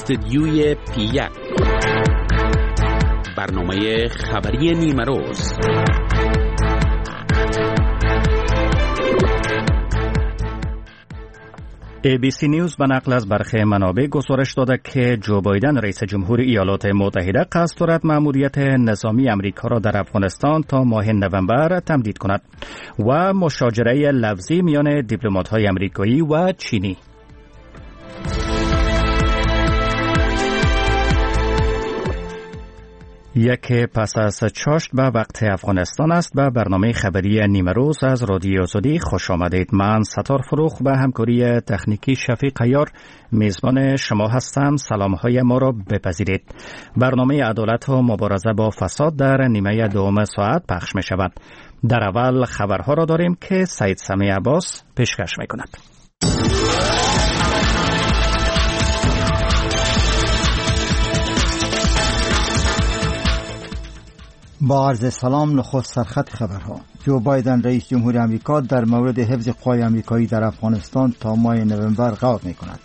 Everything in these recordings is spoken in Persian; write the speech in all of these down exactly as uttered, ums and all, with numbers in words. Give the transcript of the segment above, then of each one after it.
استدیوی پی یک، برنامه خبری نیمه روز. ای بی سی نیوز به نقل از برخی منابع گزارش داده که جو بایدن رئیس جمهور ایالات متحده قصد دارد مأموریت نظامی امریکا را در افغانستان تا ماه نوامبر تمدید کند و مشاجره لفظی میان دیپلمات‌های امریکایی و چینی. یک پس از چاشت به وقت افغانستان است. به برنامه خبری نیمه روز از رادیو آزادی خوش آمدید. من ستار فروخ به همکاری تکنیکی شفیق عیار میزبان شما هستم. سلام های ما را بپذیرید. برنامه عدالت و مبارزه با فساد در نیمه دوم ساعت پخش می شود. در اول خبرها را داریم که سید سمیع عباس پیشکش می کند. با عرض سلام، نخست سرخط خبرها. جو بایدن رئیس جمهور آمریکا در مورد حفظ قوای آمریکایی در افغانستان تا ماه نوامبر غور می‌کند.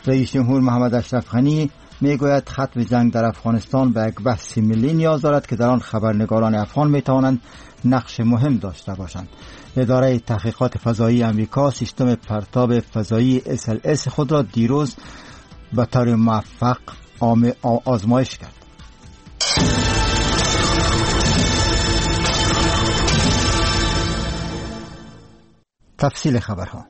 رئیس جمهور محمد اشرف غنی میگوید ختم جنگ در افغانستان به یک بحث ملی نیاز دارد که در آن خبرنگاران افغان می‌توانند نقش مهم داشته باشند. اداره تحقیقات فضایی آمریکا سیستم پرتاب فضایی اس ال اس خود را دیروز به طور موفق آزمایش کرد. تفصیل خبرها.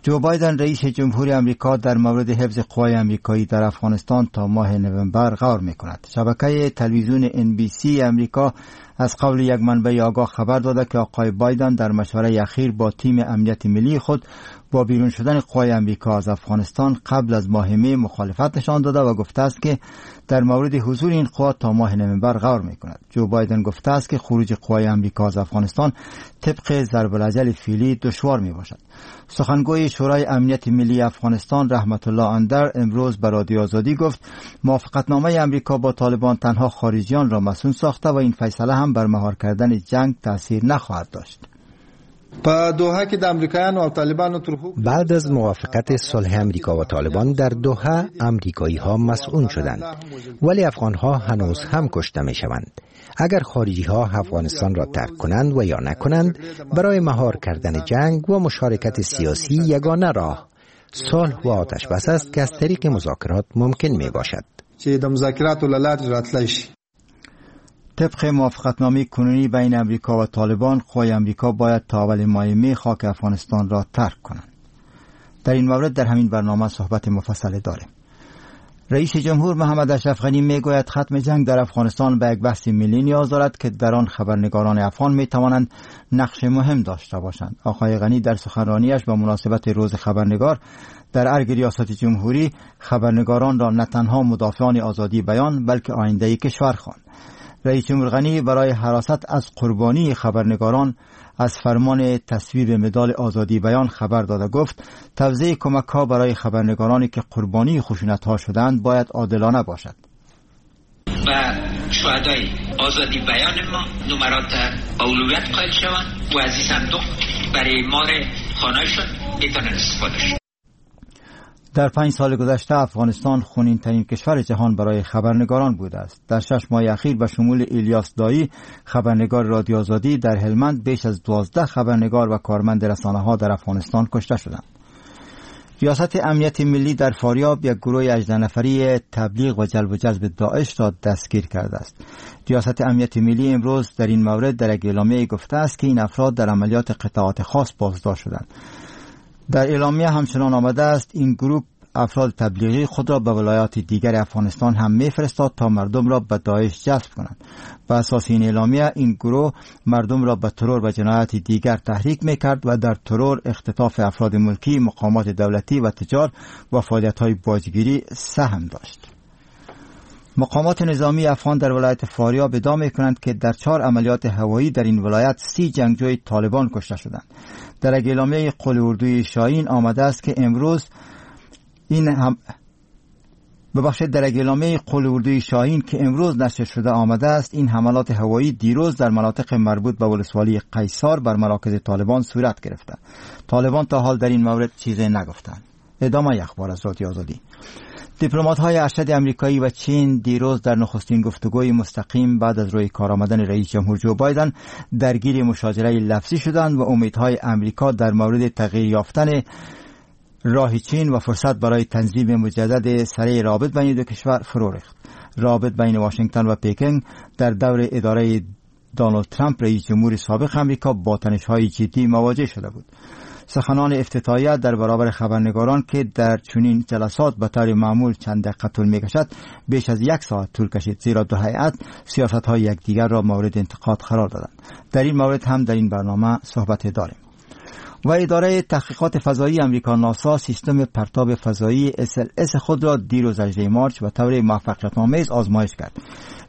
جو بایدن رئیس جمهور آمریکا در مورد حفظ قوای آمریکایی در افغانستان تا ماه نوامبر غور می‌کند. شبکه تلویزیون ان بی سی آمریکا از قول یک منبع آگاه خبر داده که آقای بایدن در مشوره اخیر با تیم امنیت ملی خود با بیرون شدن قوای آمریکا از افغانستان قبل از ماه می مخالفت نشان داده و گفته است که در مورد حضور این قوا تا ماه نوامبر غور می‌کند. جو بایدن گفته است که خروج قوای آمریکا از افغانستان طبق ضرب الاجل فعلی دشوار می‌باشد. سخنگوی شورای امنیت ملی افغانستان رحمت الله اندر امروز به رادیو آزادی گفت موافقتنامه آمریکا با طالبان تنها خارجیان را مسئول ساخته و این فیصله هم بر مهار کردن جنگ تاثیر نخواهد داشت. بعد از موافقت صلح امریکا و طالبان در دوحه، امریکایی ها مسئول شدند، ولی افغان ها هنوز هم کشته می شوند. اگر خارجی ها افغانستان را ترک کنند و یا نکنند، برای مهار کردن جنگ و مشارکت سیاسی یگانه راه صلح و آتش بس است که از طریق مذاکرات ممکن می باشد. طبق موافقتنامه کنونی بین امریکا و طالبان، قوای امریکا باید تا اول ماه می خاک افغانستان را ترک کنند. در این مورد در همین برنامه صحبت مفصل داریم. رئیس جمهور محمد اشرف غنی میگوید ختم جنگ در افغانستان به یک بحث ملی نیاز دارد که در آن خبرنگاران افغان می توانند نقش مهم داشته باشند. آقای غنی در سخنرانیش به مناسبت روز خبرنگار در ارگ ریاست جمهوری خبرنگاران را نه تنها مدافعان آزادی بیان بلکه آینده کشور خواند. رئیس جمهور غنی برای حراست از قربانی خبرنگاران از فرمان تصویب مدال آزادی بیان خبر داده گفت توزیع کمک‌ها برای خبرنگارانی که قربانی خشونت‌ها شدند باید عادلانه باشد. و شهدای آزادی بیان ما نمرات اولویت قائل شوند و از این صندوق برای مار خانه‌شون بتونن استفاده شوند. در پنج سال گذشته افغانستان خونین ترین کشور جهان برای خبرنگاران بوده است. در شش ماه اخیر به شمول الیاس دایی خبرنگار رادیو آزادی در هلمند بیش از دوازده خبرنگار و کارمند رسانه ها در افغانستان کشته شدند. ریاست امنیت ملی در فاریاب یک گروه هجده نفری تبلیغ و جلب و جذب داعش را دستگیر کرده است. ریاست امنیت ملی امروز در این مورد در یک اعلامیه گفته است که این افراد در عملیات قطعات خاص بازداشت شدند. در اعلامیه همچنان آمده است این گروه افراد تبلیغی خود را به ولایات دیگر افغانستان هم میفرستاد تا مردم را به داعش جذب کنند. به اساس این اعلامیه این گروه مردم را به ترور و جنایات دیگر تحریک میکرد و در ترور، اختطاف افراد ملکی، مقامات دولتی و تجار و فعالیت‌های باجگیری سهم داشت. مقامات نظامی افغان در ولایت فاریاب ادعا می‌کنند که در چهار عملیات هوایی در این ولایت سی جنگجوی طالبان کشته شدند. در اعلامیه قول اردوی شاهین آمده است که امروز این هم ببخشید در اعلامیه قول اردوی شاهین که امروز نشر شده آمده است این حملات هوایی دیروز در مناطق مربوط به ولسوالی قیصار بر مراکز طالبان صورت گرفته. طالبان تا حال در این مورد چیزی نگفتند. ادامه اخبار از رادیو آزادی. دیپلمات‌های ارشد امریکایی و چین دیروز در نخستین گفتگوی مستقیم بعد از روی کار آمدن رئیس جمهور جو بایدن درگیر مشاجره لفظی شدند و امیدهای امریکا در مورد تغییر یافتن راه چین و فرصت برای تنظیم مجدد سریع رابط بین دو کشور فرو ریخت. رابط بین واشنگتن و پکن در دور اداره دونالد ترامپ رئیس جمهور سابق امریکا با تنش‌های جدی مواجه شده بود. سخنان افتتاحیه در برابر خبرنگاران که در چنین جلسات به طور معمول چند دقیقه طول می‌کشد بیش از یک ساعت طول کشید، زیرا دو هیئت سیاست‌های یکدیگر را مورد انتقاد قرار دادند. در این مورد هم در این برنامه صحبت داریم. و اداره تحقیقات فضایی امریکا ناسا سیستم پرتاب فضایی اس ال اس خود را دیروز هجدهم مارچ به طور موفقیت‌آمیز آزمایش کرد.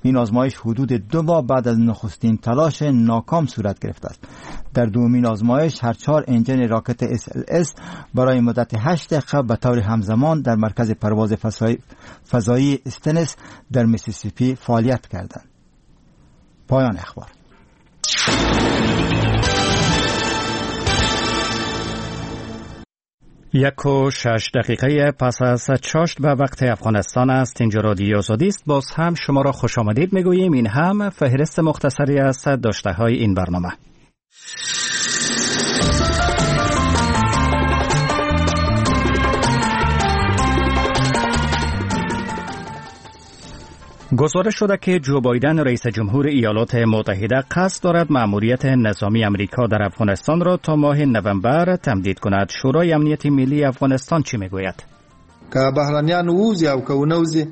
این آزمایش حدود دو ماه بعد از نخستین تلاش ناکام صورت گرفته است. در دومین آزمایش هر چهار انجن راکت اس ال اس برای مدت هشت دقیقه به طور همزمان در مرکز پرواز فضایی استنس در میسیسیپی فعالیت کردند. پایان اخبار. یک و شش دقیقه پس از چاشت به وقت افغانستان است. اینجا رادیو آزادی است. باز هم شما را خوش آمدید میگوییم. این هم فهرست مختصری از داشته های این برنامه. گزارش شده که جو بایدن رئیس جمهور ایالات متحده قصد دارد مأموریت نظامی امریکا در افغانستان را تا ماه نوامبر تمدید کند. شورای امنیت ملی افغانستان چی میگوید؟ که بهرنیان ووځي او که ونه وځي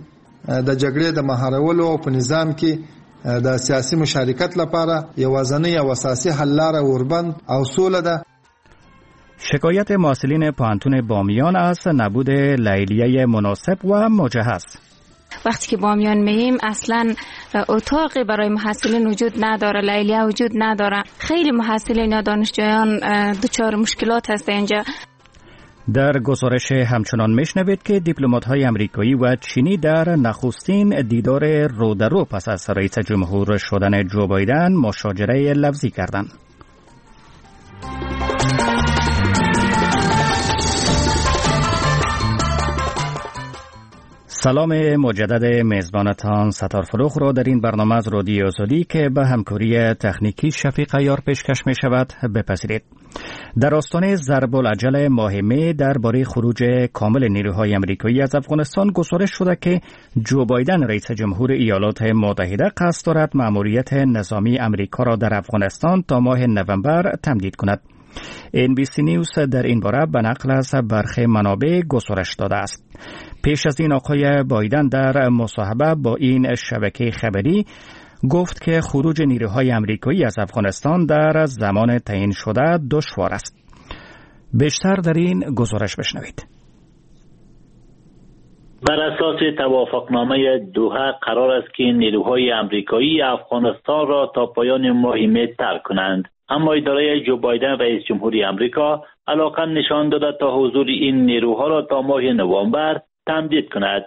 د جګړې د مهارولو او په نظام کې د سیاسي مشارکت لپاره یوازنۍ او اساسي حل لاره اوربند او سوله ده. شکایت محصلین پوهنتون بامیان از نبود لیلیه مناسب و مجهز. وقتی که بامیان مییم اصلا اتاقی برای محصلین وجود نداره، لیلیه وجود نداره. خیلی محصلین یا دانشجویان دچار مشکلات هست اینجا. در گزارش همچنان میشنوید که دیپلمات‌های امریکایی و چینی در نخستین دیدار رو در رو پس از رئیس جمهور شدن جو بایدن مشاجره لفظی کردند. سلام مجدد میزبانتان ستار فروخ را در این برنامه از رادیو آزادی که به همکاری تکنیکی شفیق عیار پیشکش می شود بپذیرید. در آستانه ضرب العجل ماه می درباره خروج کامل نیروهای امریکایی از افغانستان گزارش شده که جو بایدن رئیس جمهور ایالات متحده قصد دارد مأموریت نظامی امریکا را در افغانستان تا ماه نوامبر تمدید کند. ان بی سی نیوز در این باره به نقل از برخی منابع گزارش داده است. پیش از این آقای بایدن در مصاحبه با این شبکه خبری گفت که خروج نیروهای امریکایی از افغانستان در زمان تعیین شده دشوار است. بیشتر در این گزارش بشنوید. بر اساس توافقنامه دوحه قرار است که نیروهای امریکایی افغانستان را تا پایان ماه می ترک کنند. اما اداره جو بایدن رئیس جمهوری امریکا علاقه نشان داده تا حضور این نیروها را تا ماه نوامبر تمدید کند.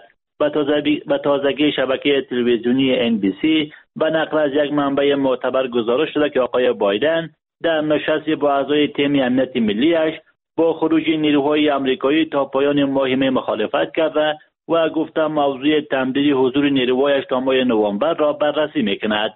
به تازگی شبکه تلویزیونی ان بی سی به نقل از یک منبع معتبر گزارش شده که آقای بایدن در نشست با اعضای تیم امنیت ملیش با خروج نیروهای امریکایی تا پایان ماه می مخالفت کرده و گفته موضوع تمدید حضور نیروهایش تا ماه نوامبر را بررسی میکند.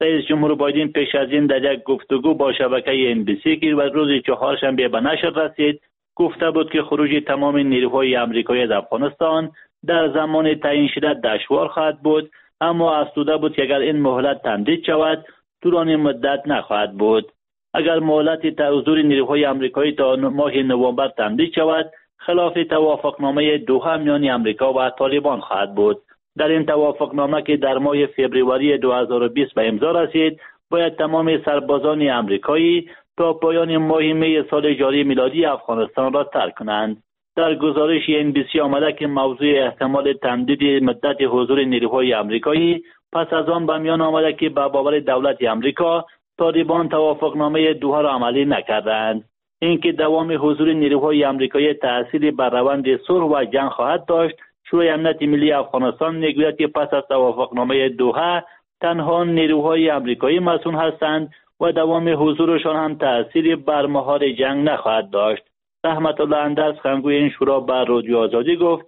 رئیس جمهور بایدن پیش از این در یک گفتگو با شبکه ان بی سی که روز چهارشنبه به نشر رسید گفته بود که خروج تمام نیروهای امریکایی از افغانستان در زمان تعیین شده دشوار خواهد بود، اما افزوده بود که اگر این مهلت تمدید شود طولانی مدت نخواهد بود. اگر مهلت حضور نیروهای امریکایی تا ماه نوامبر تمدید شود خلاف توافقنامه دوحه میان امریکا و طالبان خواهد بود. در این توافقنامه که در ماه فوریه دو هزار و بیست به امضا رسید باید تمام سربازان امریکایی تا پایان ماه می سال جاری میلادی افغانستان را ترک کنند. در گزارش ان بی سی آمده که موضوع احتمال تمدید مدت حضور نیروهای امریکایی پس از آن به میان آمده که به باور دولت امریکا طالبان توافقنامه دوحه را عملی نکردند. اینکه دوام حضور نیروهای امریکایی تأثیری بر روند صلح و جنگ خواهد داشت، شورای امنیت ملی افغانستان میگوید که پس از توافقنامه دوحه تنها نیروهای امریکایی مسئول هستند و دوام حضورشان هم تأثیری بر مهار جنگ نخواهد داشت. رحمت الله اندرز سخنگوی این شورا بر رادیو آزادی گفت: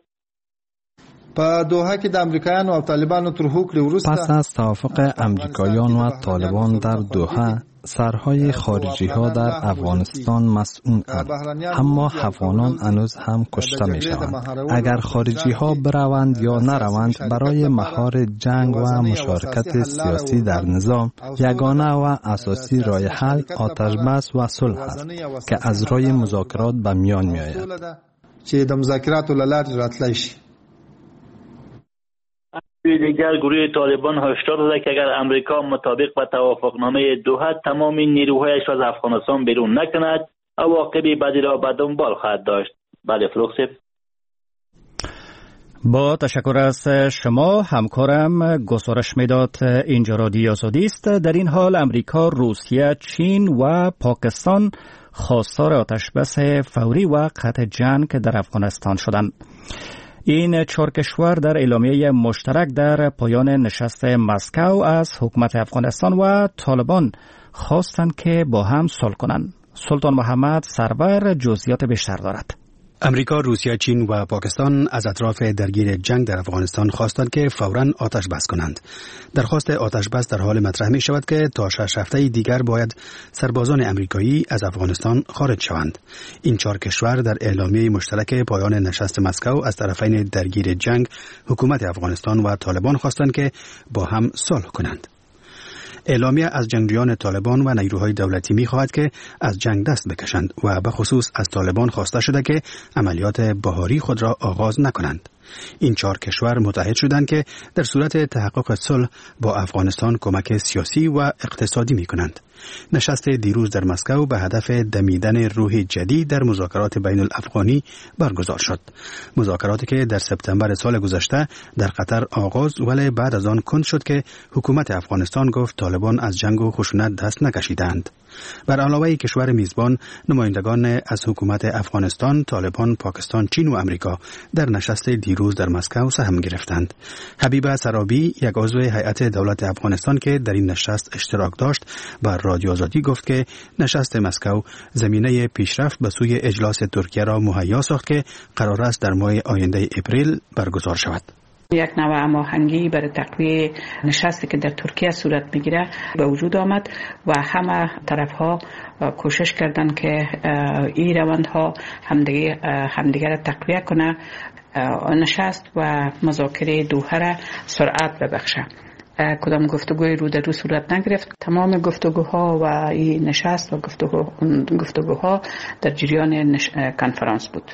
په دوحه کې د امریکایانو او طالبانو تر هوکړې وروسته پس از توافق امریکایان و طالبان در دوحه، سرهای خارجی ها در افغانستان مسئول اند، اما افغانان هنوز هم کشته می شوند. اگر خارجی ها بروند یا نروند، برای مهار جنگ و مشارکت سیاسی در نظام، یگانه و اساسی راه حل آتش بس و صلح است که از راه مذاکرات به میان می آید. چې د مذاکراتو له لارې راتلای شي. دیگر گروه طالبان هشدار داده که اگر امریکا مطابق با توافقنامه دوحه تمام نیروهایش از افغانستان بیرون نکند، عواقب بدی را به دنبال خواهد داشت. بله فروغ صاحب. با تشکر از شما همکارم گزارش میداد. اینجا رادیو آزادی است. در این حال امریکا، روسیه، چین و پاکستان خواستار آتش بس فوری و قطع جنگ در افغانستان شدند. این چهار کشور در اعلامیه مشترک در پایان نشست مسکو از حکومت افغانستان و طالبان خواستند که با هم صلح کنند. سلطان محمد سرور جزئیات بیشتر دارد. امریکا، روسیه، چین و پاکستان از اطراف درگیر جنگ در افغانستان خواستند که فوراً آتش بس کنند. درخواست آتش بس در حال مطرح می شود که تا شش هفته دیگر باید سربازان امریکایی از افغانستان خارج شوند. این چهار کشور در اعلامیه مشترک پایان نشست مسکو از طرفین درگیر جنگ، حکومت افغانستان و طالبان خواستند که با هم صلح کنند. اعلامیه از جنگجویان طالبان و نیروهای دولتی می‌خواهد که از جنگ دست بکشند و به خصوص از طالبان خواسته شده که عملیات بهاری خود را آغاز نکنند. این چهار کشور متحد شدند که در صورت تحقق صلح با افغانستان کمک سیاسی و اقتصادی می‌کنند. نشست دیروز در مسکو به هدف دمیدن روح جدید در مذاکرات بین الافغانی برگزار شد. مذاکراتی که در سپتامبر سال گذشته در قطر آغاز ولی بعد از آن کند شد که حکومت افغانستان گفت طالبان از جنگ و خشونت دست نکشیدند. بر علاوه کشور میزبان، نمایندگان از حکومت افغانستان، طالبان، پاکستان، چین و امریکا در نشست دیروز در مسکو سهم گرفتند. حبیبه سرابی، یک عضو هیئت دولت افغانستان که در این نشست اشتراک داشت، بر رادیو آزادی گفت که نشست مسکو زمینه پیشرفت به سوی اجلاس ترکیه را مهیا ساخت که قرار است در ماه آینده اپریل برگزار شود. یک نوع هماهنگی برای تقویه نشستی که در ترکیه صورت میگیره به وجود آمد و همه طرفها کوشش کردند که این روندها همدیگه همدیگه را تقویه کنه، نشست و مذاکره دوحه را سرعت ببخشه. کدام گفتگوی رو در رو صورت نگرفت. تمام گفتگوها و این نشست و گفتگو گفتگوها در جریان نش... کنفرانس بود.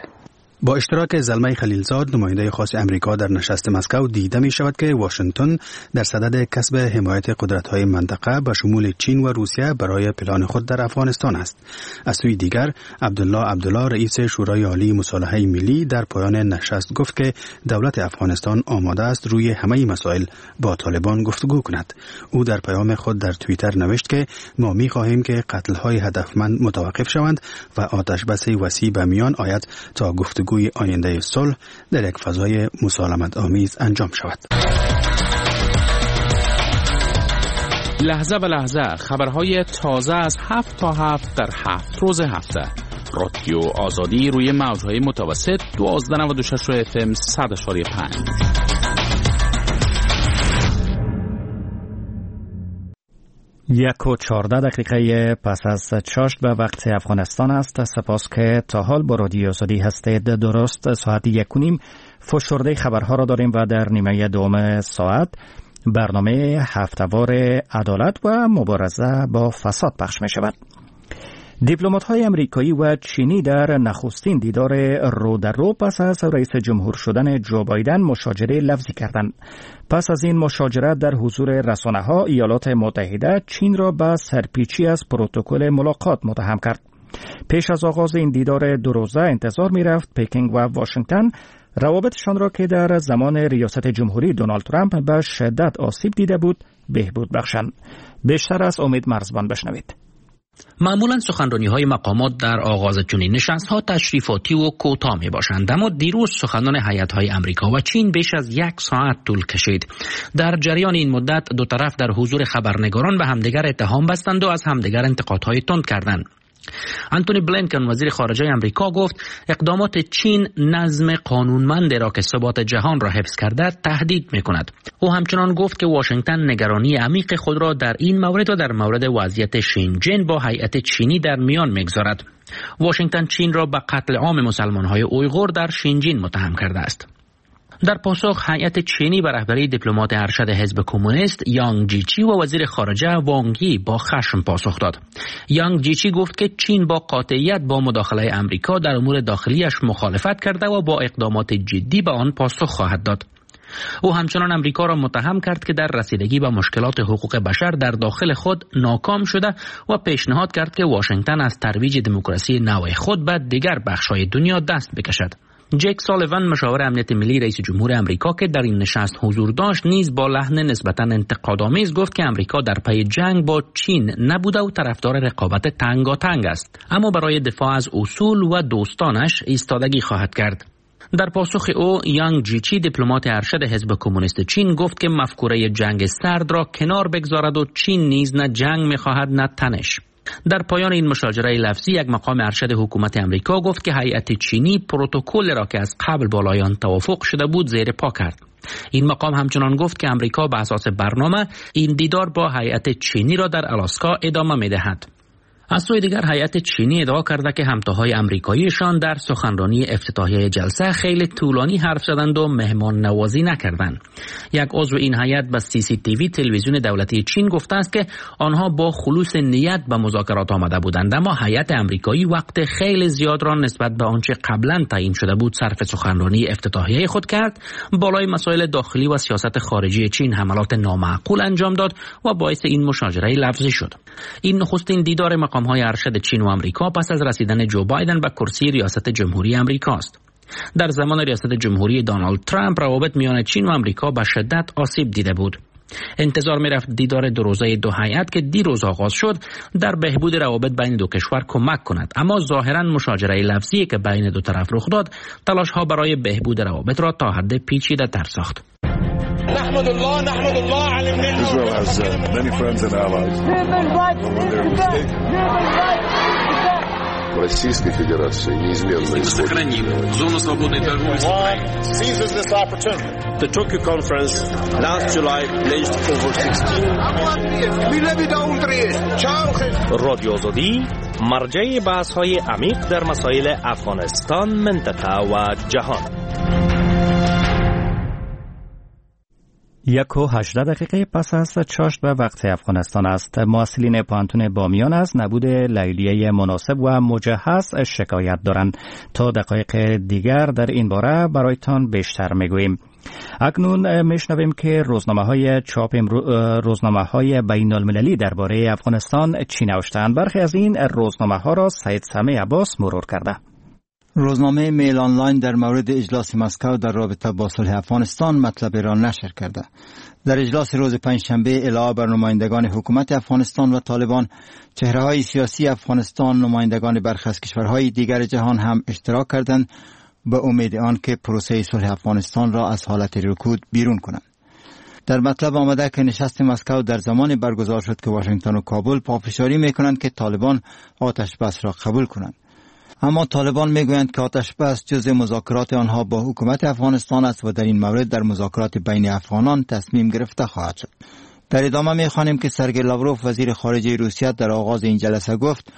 با اشتراک زلمی خلیلزاد، نماینده خاص امریکا در نشست مسکو، دیده می شود که واشنگتن در صدد کسب حمایت قدرت‌های منطقه به شمول چین و روسیه برای پلان خود در افغانستان است. از سوی دیگر، عبدالله عبدالله رئیس شورای عالی مصالحه ملی در پایان نشست گفت که دولت افغانستان آماده است روی همه مسائل با طالبان گفتگو کند. او در پیام خود در توییتر نوشت که ما می خواهیم که قتل‌های هدفمند متوقف شوند و آتش بس وسیع به میان آید تا گفتگو آینده صلح در یک فضای مسالمت آمیز انجام شود. لحظه به لحظه خبرهای تازه از هفت تا هفت در هفت روز هفته. رادیو آزادی روی موجهای متوسط دوازده نود و شش اف ام صد و پنج. یک و چهارده دقیقه پس از چاشت به وقت افغانستان است. سپاس که تا حال با رادیو آزادی هستید. درست ساعت یک و نیم فشرده خبرها را داریم و در نیمه دوم ساعت برنامه هفته‌وار عدالت و مبارزه با فساد پخش می شود. دیپلمات‌های امریکایی و چینی در نخستین دیدار رو در رو پس از رئیس جمهور شدن جو بایدن مشاجره لفظی کردند. پس از این مشاجره در حضور رسانه‌ها، ایالات متحده چین را به سرپیچی از پروتکل ملاقات متهم کرد. پیش از آغاز این دیدار دو روزه انتظار می‌رفت پکینگ و واشنگتن روابطشان را که در زمان ریاست جمهوری دونالد ترامپ به شدت آسیب دیده بود بهبود بخشند. بیشتر از امید مرزبان بشنوید. معمولا سخنرانی های مقامات در آغاز چنین نشست ها تشریفاتی و کوتاه می باشند، اما دیروز سخنان هیئت های امریکا و چین بیش از یک ساعت طول کشید. در جریان این مدت دو طرف در حضور خبرنگاران به همدیگر اتهام بستند و از همدیگر انتقادهای تند کردند. آنتونی بلینکن وزیر خارجه آمریکا گفت اقدامات چین نظم قانونمند را که ثبات جهان را حفظ کرده تهدید می‌کند. او همچنان گفت که واشنگتن نگرانی عمیق خود را در این مورد و در مورد وضعیت شینجن با هیئت چینی در میان می‌گذارد. واشنگتن چین را به قتل عام مسلمان‌های اویغور در شینجین متهم کرده است. در پاسخ هیئت چینی به رهبری دیپلمات ارشد حزب کمونیست یانگ جیچی و وزیر خارجه وانگ یی با خشم پاسخ داد. یانگ جیچی گفت که چین با قاطعیت با مداخله امریکا در امور داخلیش مخالفت کرده و با اقدامات جدی به آن پاسخ خواهد داد. او همچنان امریکا را متهم کرد که در رسیدگی به مشکلات حقوق بشر در داخل خود ناکام شده و پیشنهاد کرد که واشنگتن از ترویج دموکراسی نوع خود به دیگر بخش‌های دنیا دست بکشد. جک سالیوان مشاور امنیت ملی رئیس جمهور امریکا که در این نشست حضور داشت نیز با لحن نسبتاً انتقادآمیز گفت که امریکا در پی جنگ با چین نبوده و طرفدار رقابت تنگاتنگ است، اما برای دفاع از اصول و دوستانش ایستادگی خواهد کرد. در پاسخ او یانگ جیچی دیپلمات ارشد حزب کمونیست چین گفت که مفکوره جنگ سرد را کنار بگذارد و چین نیز نه جنگ می‌خواهد نه تنش. در پایان این مشاجره لفظی یک مقام ارشد حکومت امریکا گفت که هیئت چینی پروتکل را که از قبل بالای آن توافق شده بود زیر پا کرد. این مقام همچنان گفت که امریکا به اساس برنامه این دیدار با هیئت چینی را در الاسکا ادامه می‌دهد. از سوی دیگر هیئت چینی ادعا کرده که همتاهای امریکاییشان در سخنرانی افتتاحیه جلسه خیلی طولانی حرف زدند و مهمان نوازی نکردند. یک عضو این هیئت به سی سی تی وی تلویزیون دولتی چین گفته است که آنها با خلوص نیت به مذاکرات آمده بودند، اما هیئت امریکایی وقت خیلی زیاد را نسبت به آنچه قبلا تعیین شده بود صرف سخنرانی افتتاحیه خود کرد، بالای مسائل داخلی و سیاست خارجی چین حملات نامعقول انجام داد و باعث این مشاجره لفظی شد. این نخستین دیدار مقام های ارشد چین و امریکا پس از رسیدن جو بایدن به کرسی ریاست جمهوری امریکا است. در زمان ریاست جمهوری دونالد ترامپ روابط میان چین و امریکا به شدت آسیب دیده بود. انتظار می‌رفت دیدار دو روزه دو هیئت که دیروز آغاز شد در بهبود روابط بین دو کشور کمک کند، اما ظاهراً مشاجره لفظی که بین دو طرف رخ داد تلاش‌ها برای بهبود روابط را تا حد پیچیده‌تر ساخت. نحمد الله نحمد الله على النعمة. Israel has uh, many friends and allies. Human rights is the best. Human rights is the best. Российской Федерации неизменно сохраним зону свободной торговли с Украиной. Seizes this opportunity. The Tokyo conference last July pledged over sixteen. رادیو آزادی مرجع بحث‌های عمیق در مسائل افغانستان، منطقه و جهان. یک و هجده دقیقه پس از چاشت به وقت افغانستان است. محصلین پوهنتون بامیان از نبود لیلیه مناسب و مجهز شکایت دارند. تا دقایق دیگر در این باره برایتان بیشتر میگوییم. اکنون میشنویم که روزنامه های چاپ روزنامه های بین المللی درباره افغانستان چی نوشتند. برخی از این روزنامه ها را سید سمیع عباس مرور کرده. روزنامه میل آنلاین در مورد اجلاس مسکو در رابطه با صلح افغانستان مطلب را نشر کرده. در اجلاس روز پنجشنبه علاوه بر نمایندگان حکومت افغانستان و طالبان، چهره‌های سیاسی افغانستان، نمایندگان برخی از کشورهای دیگر جهان هم اشتراک کردند به امید آن که پروسه صلح افغانستان را از حالت رکود بیرون کنند. در مطلب آمده که نشست مسکو در زمان برگزار شد که واشنگتن و کابل پافشاری می‌کنند که طالبان آتش بس را قبول کنند. اما طالبان میگویند که آتش بس جزء مذاکرات آنها با حکومت افغانستان است و در این مورد در مذاکرات بین افغانان تصمیم گرفته خواهد شد. در ادامه میخوانیم که سرگئی لاوروف وزیر خارجه روسیه در آغاز این جلسه گفت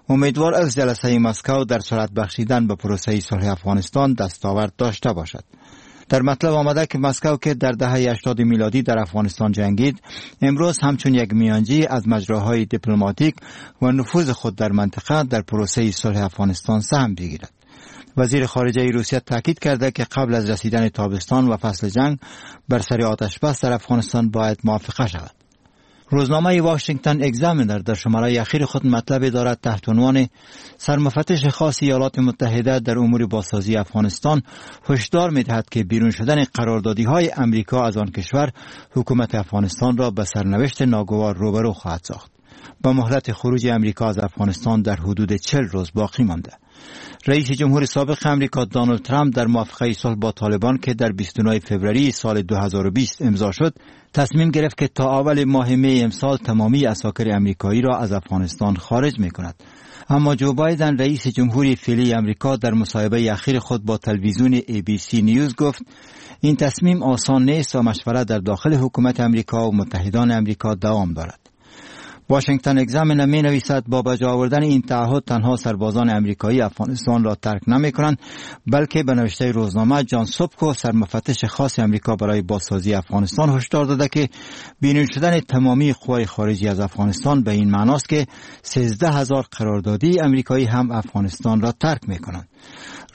امیدوار از جلسه مسکو در سرعت بخشیدن به پروسه صلح افغانستان دستاورد داشته باشد. در مطلب آمده که مسکو که در دهه هشتاد میلادی در افغانستان جنگید، امروز همچون یک میانجی از مجراهای دیپلماتیک و نفوذ خود در منطقه در پروسه صلح افغانستان سهم بگیرد. وزیر خارجه روسیه تاکید کرده که قبل از رسیدن تابستان و فصل جنگ بر سر آتش بس در افغانستان باید موافقه شود. روزنامه واشنگتن اگزامینر در شماره اخیر خود مطلبی دارد تحت عنوان سرمفتش خاص ایالات متحده در امور بازسازی افغانستان هشدار می‌دهد که بیرون شدن قراردادی‌های امریکا از آن کشور حکومت افغانستان را به سرنوشت ناگوار روبرو خواهد ساخت. با مهلت خروج امریکا از افغانستان در حدود چهل روز باقی مانده. رئیس جمهور سابق امریکا دونالد ترامپ در موافقه صلح با طالبان که در بیست و نه فوریه سال دو هزار و بیست امضا شد، تصمیم گرفت که تا اول ماه می امسال تمامی عساکر امریکایی را از افغانستان خارج می کند. اما جو بایدن، رئیس جمهوری فعلی امریکا، در مصاحبه اخیر خود با تلویزیون ABC News گفت این تصمیم آسان نیست و مشورت در داخل حکومت امریکا و متحدان امریکا دوام دارد. واشنگتن اگزامینر می نویسد با بجا آوردن این تعهد تنها سربازان امریکایی افغانستان را ترک نمی کنند، بلکه به نوشته روزنامه جان سوپکو، سرمفتش خاص امریکا برای بازسازی افغانستان، هشدار داده که بیرون شدن تمامی قوای خارجی از افغانستان به این معناست که سیزده هزار قراردادی امریکایی هم افغانستان را ترک می کنند.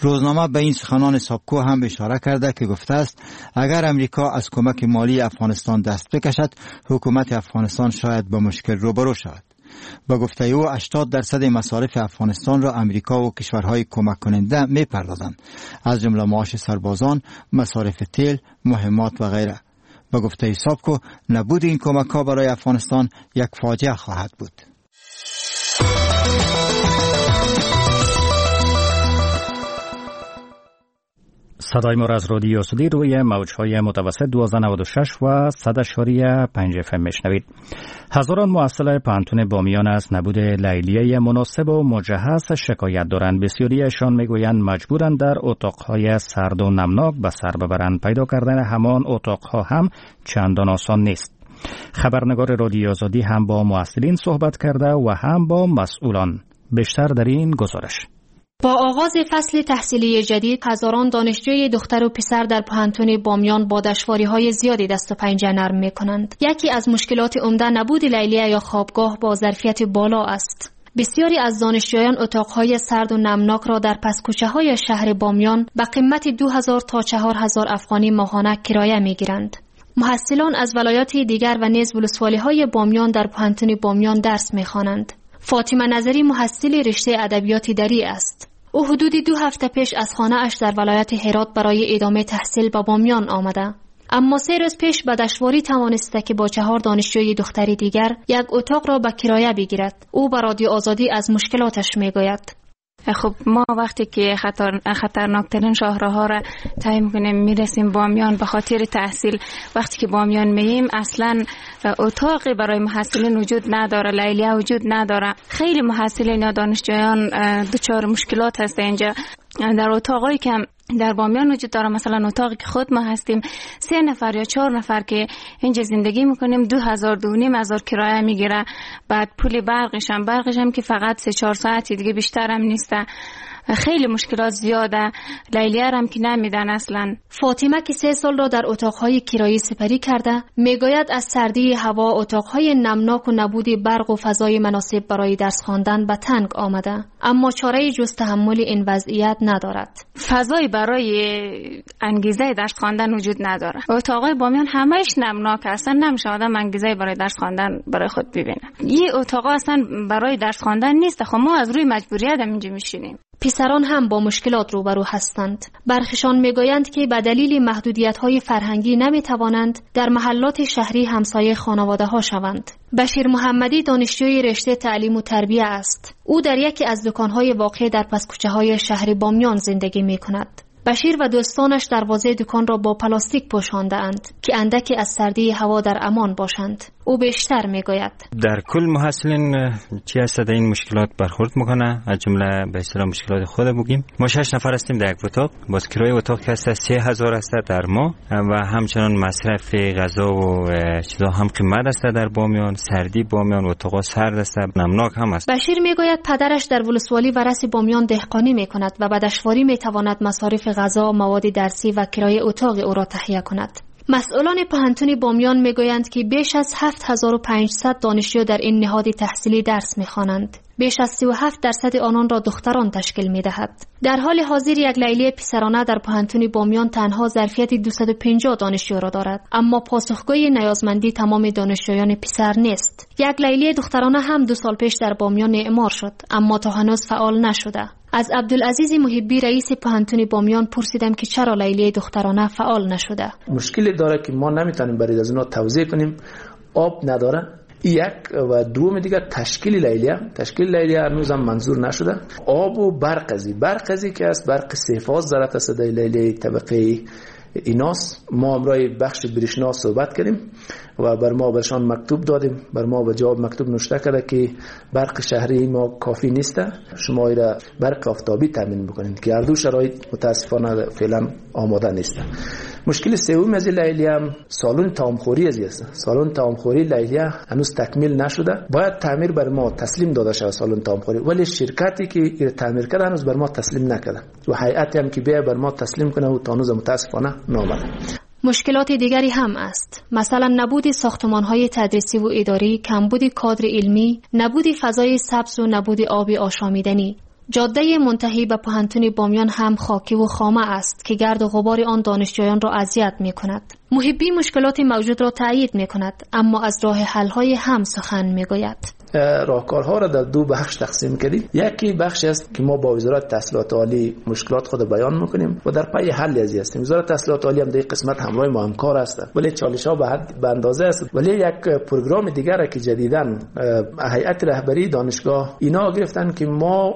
روزنامه به این سخنان ساپکو هم اشاره کرده که گفته است اگر امریکا از کمک مالی افغانستان دست بکشد، حکومت افغانستان شاید با مشکل روبرو شود. به گفته او هشتاد درصد مصارف افغانستان را امریکا و کشورهای کمک کننده می پردازند، از جمله معاش سربازان، مصارف تیل، مهمات و غیره. به گفته ساپکو نبود این کمک ها برای افغانستان یک فاجعه خواهد بود. صدای ما را از رادیو آزادی روی موج‌های متوسط دوازده نود و شش و صد اعشاریه پنج اف ام میشنوید. هزاران محصل پوهنتون بامیان از نبود لیلیه مناسب و مجهز شکایت دارند. بسیاریشان میگویند مجبورند در اتاق‌های سرد و نمناک به سر ببرند. پیدا کردن همان اتاق‌ها هم چندان آسان نیست. خبرنگار رادیو آزادی هم با محصلین صحبت کرده و هم با مسئولان. بیشتر در این گزارش. با آغاز فصل تحصیلی جدید، هزاران دانشجوی دختر و پسر در پوهنتون بامیان با دشواری‌های زیادی دست و پنجه نرم می‌کنند. یکی از مشکلات عمده نبود لیلیه یا خوابگاه با ظرفیت بالا است. بسیاری از دانشجویان اتاق‌های سرد و نمناک را در پس کوچه‌های شهر بامیان به قیمت دو هزار تا چهار هزار افغانی ماهانه کرایه می‌گیرند. محصلان از ولایات دیگر و نیز ولسوالی‌های بامیان در پوهنتون بامیان درس می‌خوانند. فاطمه نظری محصل رشته ادبیات دری است. او حدود دو هفته پیش از خانه اش در ولایت هرات برای ادامه تحصیل به بامیان آمده. اما سه روز پیش به دشواری توانسته که با چهار دانشجوی دختری دیگر یک اتاق را به کرایه بگیرد. او به رادیو آزادی از مشکلاتش میگوید. خب ما وقتی که خطر خطرناکترین شاهراها را طی میکنیم میرسیم بامیان به خاطر تحصیل. وقتی که بامیان مییم اصلا اتاقی برای محصلین وجود نداره، لیلیه وجود نداره. خیلی محصلین یا دانشجویان دچار مشکلات هست اینجا. در اتاقایی که در بامیان وجود داره، مثلا اتاقی که خود ما هستیم سه نفر یا چهار نفر که اینجا زندگی میکنیم، دو هزار دو نیم هزار کرایه میگیره. بعد پول برقش هم برقش هم که فقط سه چهار ساعتی دیگه بیشتر هم نیست. خیلی مشکلات زیاده. لیلیه هم که نمیدن اصلا. فاطمه که سه سال را در اتاقهای کرایه سپری کرده میگوید از سردی هوا، اتاقهای نمناک و نبود برق و فضای مناسب برای درس خواندن به تنگ آمده، اما چاره جز تحمل این وضعیت ندارد. فضای برای انگیزه درس خواندن وجود نداره. اتاقای بامیان همش نمناک، اصلا نمیشه آدم انگیزه برای درس خواندن برای خود ببینه. این اتاقا اصلا برای درس خواندن نیست. خب ما از روی مجبوریت اینجا میشینیم. پسران هم با مشکلات روبرو هستند. برخشان میگویند که به دلیل محدودیت‌های فرهنگی نمیتوانند در محلات شهری همسایه خانواده‌ها شوند. بشیر محمدی دانشجوی رشته تعلیم و تربیه است. او در یکی از دکان‌های واقع در پس کوچه‌های شهر بامیان زندگی می‌کند. بشیر و دوستانش دروازه دکان را با پلاستیک پوشانده‌اند که اندکی از سردی هوا در امان باشند. او بیشتر میگوید: در کل محصلین چی هست در این مشکلات برخورد میکنه، از جمله به اصطلاح مشکلات خود بگیم. ما شش نفر هستیم در یک اتاق، باز کرایه اتاق که هست سه هزار است در ماه و همچنان مصرف غذا و چیزا هم قیمت است در بامیان، سردی بامیان، اتاق سرد است، نمناک هم است. بشیر میگوید پدرش در ولسوالی ورس بامیان دهقانی میکند و به دشواری میتواند مصارف غذا، مواد درسی و کرایه اتاق او را تهیه کند. مسئولان پوهنتون بامیان میگویند که بیش از هفت هزار و پانصد دانشجو در این نهاد تحصیلی درس میخوانند. بیش از سی و هفت درصد آنان را دختران تشکیل میدهد. در حال حاضر یک لیلیه پسرانه در پوهنتون بامیان تنها ظرفیت دویست و پنجاه دانشجو را دارد، اما پاسخگوی نیازمندی تمام دانشجویان پسر نیست. یک لیلیه دخترانه هم دو سال پیش در بامیان اعمار شد، اما تا هنوز فعال نشده. از عبدالعزیز محبی رئیس پوهنتون بامیان پرسیدم که چرا لیلیه دخترانه فعال نشده. مشکل داره که ما نمیتونیم برای از اونا توزیع کنیم، آب نداره. یک و دوم دیگر تشکیل لیلیه، تشکیل لیلیه هنوز هم منظور نشده. آب و برق ازی، برق ازی که است برق سه فاز ضرورت است در لیلیه طبقه ایناس. ما همراه بخش برشنا صحبت کردیم و بر ما برشان مکتوب دادیم، بر ما به جواب مکتوب نوشته کرده که برق شهری ما کافی نیست، شما را برق آفتابی تامین بکنید که هر دو شرایط متاسفانه فعلا آماده نیست. مشکل سوم از لیلیه هم سالن طعامخوری از است. سالن طعامخوری لیلیه هنوز تکمیل نشده، باید تعمیر بر ما تسلیم داده شود سالن طعامخوری، ولی شرکتی که این تعمیر کرده هنوز بر ما تسلیم نکرده و هیئتی هم که بیا بر ما تسلیم کنه و تا هنوز متاسفانه نامده. مشکلات دیگری هم است، مثلا نبود ساختمان‌های تدریسی و اداری، کمبود کادر علمی، نبود فضای سبز و نبود آب آشامیدنی. جاده منتهی به پوهنتون بامیان هم خاکی و خامه است که گرد و غبار آن دانشجویان را اذیت می‌کند. محبی مشکلات موجود را تایید می‌کند، اما از راه حل‌های هم سخن می‌گوید. راهکارها را در دو بخش تقسیم کردیم. یکی بخش است که ما با وزارت تحصیلات عالی مشکلات خود بیان میکنیم و در پی حل ازی هستیم. وزارت تحصیلات عالی هم در قسمت همراه ما همکار است، ولی چالش ها به حد به اندازه است. ولی یک پروگرام دیگر که جدیداً هیئت رهبری دانشگاه اینا گرفتن که ما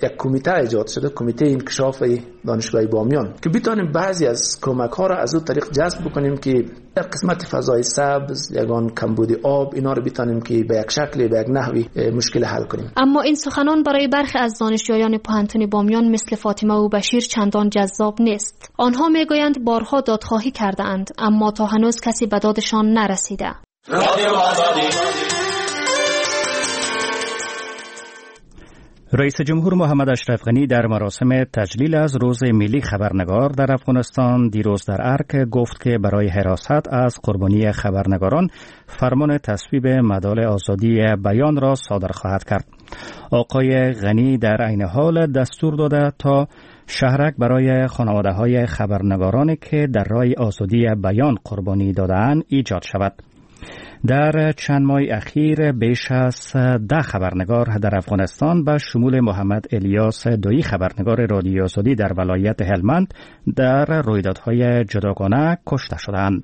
یک کمیته ایجاد شده، کمیته انکشاف دانشگاه بامیان، که بتونیم بعضی از کمک ها را از اون طریق جذب بکنیم که در قسمت فضای سبز، یگان کمبود آب، اینا رو بتونیم که به یک شکل به یک نحوی مشکل حل کنیم. اما این سخنان برای برخی از دانشجویان پوهنتون بامیان مثل فاطمه و بشیر چندان جذاب نیست. آنها میگویند بارها دادخواهی کرده اند، اما تا هنوز کسی به دادشان نرسیده. رئیس جمهور محمد اشرف غنی در مراسم تجلیل از روز ملی خبرنگار در افغانستان دیروز در ارک گفت که برای حراست از قربانی خبرنگاران فرمان تصویب مدال آزادی بیان را صادر خواهد کرد. آقای غنی در عین حال دستور داده تا شهرک برای خانواده های خبرنگارانی که در راه آزادی بیان قربانی داده‌اند ایجاد شود. در چند ماه اخیر بیش از ده خبرنگار در افغانستان به شمول محمد الیاس دویی خبرنگار رادیو آزادی در ولایت هلمند در رویدادهای جداگانه کشته شدند.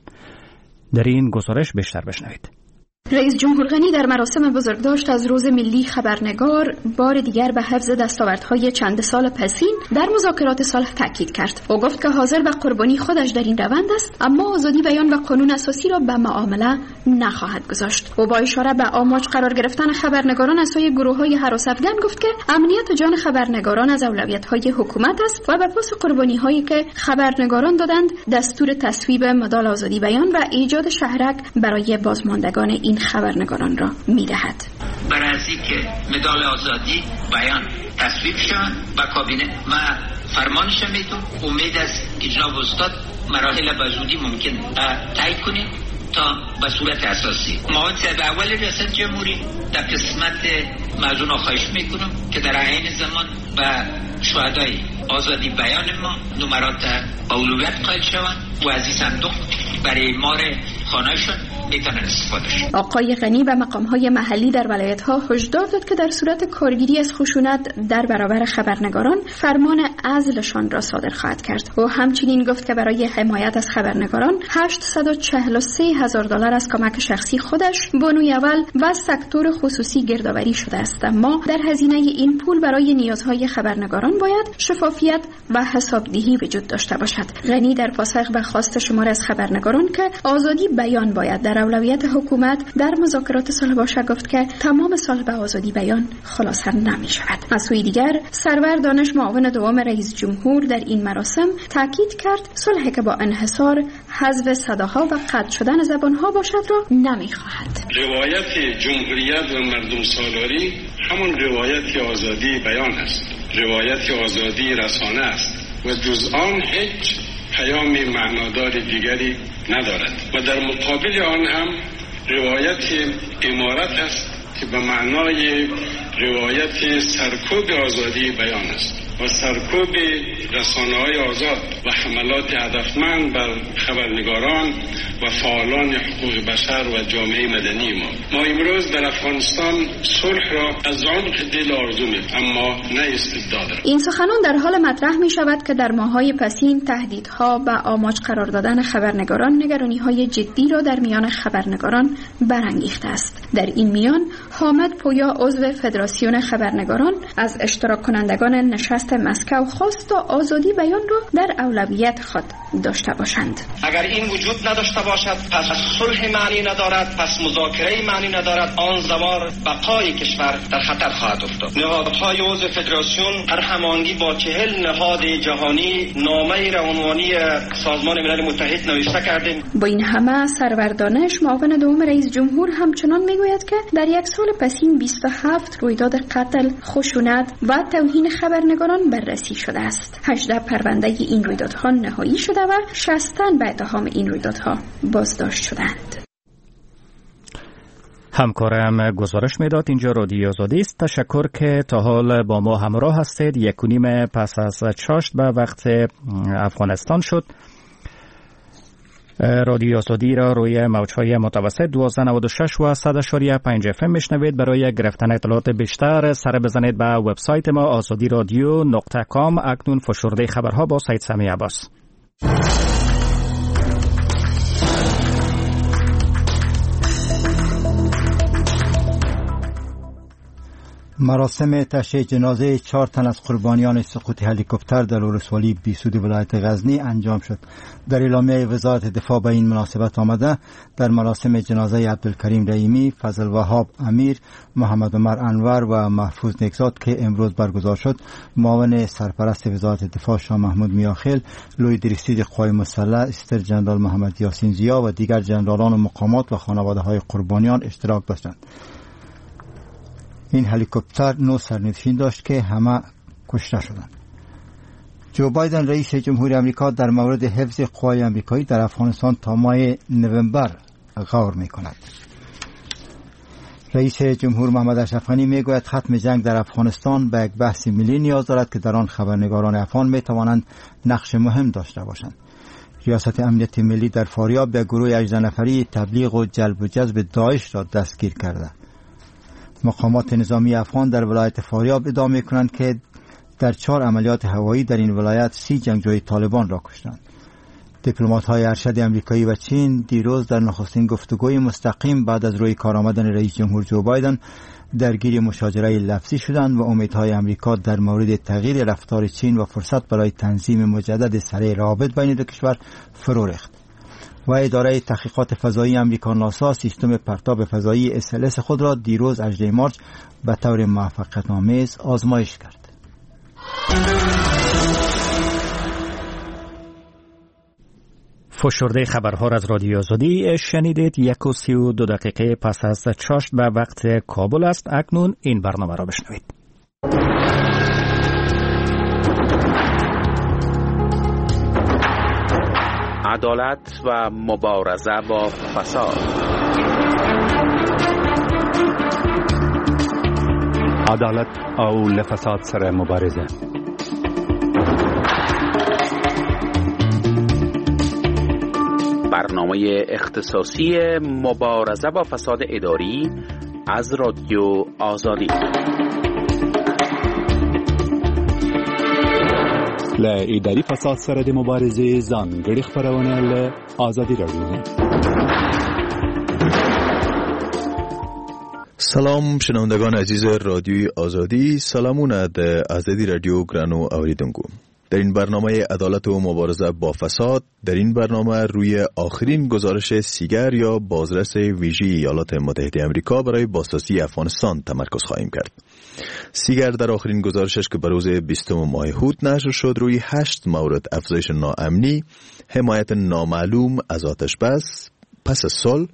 در این گزارش بیشتر بشنوید. رئیس جمهور غنی در مراسم بزرگداشت از روز ملی خبرنگار بار دیگر به حفظ دستاوردهای چند سال پسین در مذاکرات صلح تاکید کرد. او گفت که حاضر به قربانی خودش در این روند است، اما آزادی بیان و قانون اساسی را به معامله نخواهد گذاشت. او با اشاره به آماج قرار گرفتن خبرنگاران از سوی گروه‌های هراس افگن گفت که امنیت جان خبرنگاران از اولویت‌های حکومت است و به پاس قربانی‌هایی که خبرنگاران دادند دستور تصویب مدال آزادی بیان و ایجاد شهرک برای بازماندگان این خبرنگاران را میدهد. برای از اینکه مدال آزادی بیان تصویب شد و کابینه ما فرمانش میدم، امید است که جناب استاد مراحل به زودی ممکن طی کنیم تا به صورت اساسی. معاون صاحب اول ریاست جمهوری در قسمت موضوع خواهش میکنم که در عین زمان به شهدای آزادی بیان ما نمرات اولویت قائل شوند و از این صندوق برای مار خانهشون میتونن استفاده شد. آقای غنی به مقام‌های محلی در ولایت‌ها هشدار داد که در صورت کارگیری از خشونت در برابر خبرنگاران فرمان عزلشان را صادر خواهد کرد. او همچنین گفت که برای حمایت از خبرنگاران هشتصد و چهل و سه هزار دلار از کمک شخصی خودش، بانوی اول و سکتور خصوصی گردآوری شده است، اما در هزینه این پول برای نیازهای خبرنگاران باید شفافیت و حسابدهی وجود داشته باشد. غنی در پاسخ به خواست شمار از خبرنگاران که آزادی بیان باید در اولویت حکومت در مذاکرات صلح باشد گفت که تمام صلح به آزادی بیان خلاصه نمی شود. از سوی دیگر سرور دانش معاون دوم رئیس جمهور در این مراسم تاکید کرد صلح که با انحصار حذف صداها و قطع شدن زبانها باشد را نمی خواهد. روایت جمهوریت و مردم سالاری همان روایت آزادی بیان است، روایت آزادی رسانه است و جز آن هیچ پیام معنادار دیگری ندارد و در مقابل آن هم روایت امارت است که به معنای روایت سرکوب آزادی بیان است و سرکوب رسانه‌های آزاد و حملات هدفمند بر خبرنگاران و فعالان حقوق بشر و جامعه مدنی ما. ما امروز در افغانستان صلح را از عمق دل آرزو می‌کنیم، اما نه استبداد. این سخنان در حال مطرح می شود که در ماه‌های پسین تهدیدها و آماج قرار دادن خبرنگاران نگرانی‌های جدی را در میان خبرنگاران برانگیخته است. در این میان حامد پویا عضو فدراسیون خبرنگاران از اشتراک کنندگان نشست مسکو خواست تا آزادی بیان را در اولویت خود داشته باشند. اگر این وجود نداشته باشد پس صلح معنی ندارد، پس مذاکره معنی ندارد، آن زمان بقای کشور در خطر خواهد افتاد. نهادهای عضو فدراسیون در هماهنگی با چهل نهاد جهانی نامه روانوانی سازمان ملل متحد نوشته کردیم. با این همه سرور دانش معاون دوم رئیس جمهور همچنان میگوید که در یک سال پسین بیست و هفت رویداد قتل، خشونت و توهین خبرنگاران بررسی شده است. هجده پرونده این رویدادها نهایی شده و شصت تن به اتهام این رویدادها بازداشت شدند. همکارم گزارش میداد. اینجا رادیو آزادی است. تشکر که تا حال با ما همراه هستید. یک و نیم پس از چاشت به وقت افغانستان شد. رادیو آزادی را روی موج‌های متوسط دوازده نود و شش و صد و پنج اف ام میشنوید. برای گرفتن اطلاعات بیشتر سر بزنید به وبسایت ما آزادی رادیو نقطه کام. اکنون فشرده خبرها با سید سمیع عباس. مراسم تشییع جنازه چهار تن از قربانیان سقوط هلیکوپتر در ولسوالی بیسود ولایت غزنی انجام شد. در اعلامیه وزارت دفاع به این مناسبت آمده در مراسم جنازه عبدالکریم رحیمی، فضل وهاب امیر، محمد عمر انور و محفوظ نیکزاد که امروز برگزار شد، معاون سرپرست وزارت دفاع شاه محمود میاخیل، لوی درستید قوای مسلح استر جنرال محمد یاسین ضیا و دیگر جنرالان و مقامات و خانواده‌های قربانیان اشتراک داشتند. این هلیکوپتر نه سرنشین داشت که همه کشته شدند. جو بایدن رئیس جمهور آمریکا در مورد حفظ قوای آمریکایی در افغانستان تا ماه نوامبر غور می‌کند. رئیس جمهور محمد اشرف غنی میگوید ختم جنگ در افغانستان به یک بحث ملی نیاز دارد که در آن خبرنگاران افغان می‌توانند نقش مهم داشته باشند. ریاست امنیت ملی در فاریاب به گروه هجده نفری تبلیغ و جلب و جذب داعش را دستگیر کرده. مقامات نظامی افغان در ولایت فاریاب ادعا می‌کنند که در چهار عملیات هوایی در این ولایت سی جنگجوی طالبان را کشتند. دیپلمات‌های ارشد آمریکایی و چین دیروز در نخستین گفتگوی مستقیم بعد از روی کار آمدن رئیس جمهور جو بایدن درگیر مشاجره لفظی شدند و امیدهای آمریکا در مورد تغییر رفتار چین و فرصت برای تنظیم مجدد سریع روابط بین دو کشور فرو ریخت. و اداره تحقیقات فضایی آمریکا ناسا سیستم پرتاب فضایی اس ال اس خود را دیروز هجدهم مارچ به طور موفقیت‌آمیز آزمایش کرد. فشرده خبرها را از رادیو آزادی شنیدید. یک و سی و دو دقیقه پس از چاشت به وقت کابل است. اکنون این برنامه را بشنوید. عدالت و مبارزه با فساد. عدالت او له فساد سره مبارزه. برنامه اختصاصی مبارزه با فساد اداری از رادیو آزادی. له اداري فساد سره د مبارزې ځانګړې خپرونه له ازادي رادیو. سلام شنوندگان عزیز رادیوی آزادی، سلامونه د ازادي رادیو ګرانو اوریدونکو. در این برنامه عدالت و مبارزه با فساد، در این برنامه روی آخرین گزارش سیگر یا بازرس ویژه ایالات متحده آمریکا برای بازسازی افغانستان تمرکز خواهیم کرد. سیگر در آخرین گزارشش که به روز بیستم ماه حوت نشر شد، روی هشت مورد افزایش ناامنی، حمایت نامعلوم از آتش بس پس از صلح،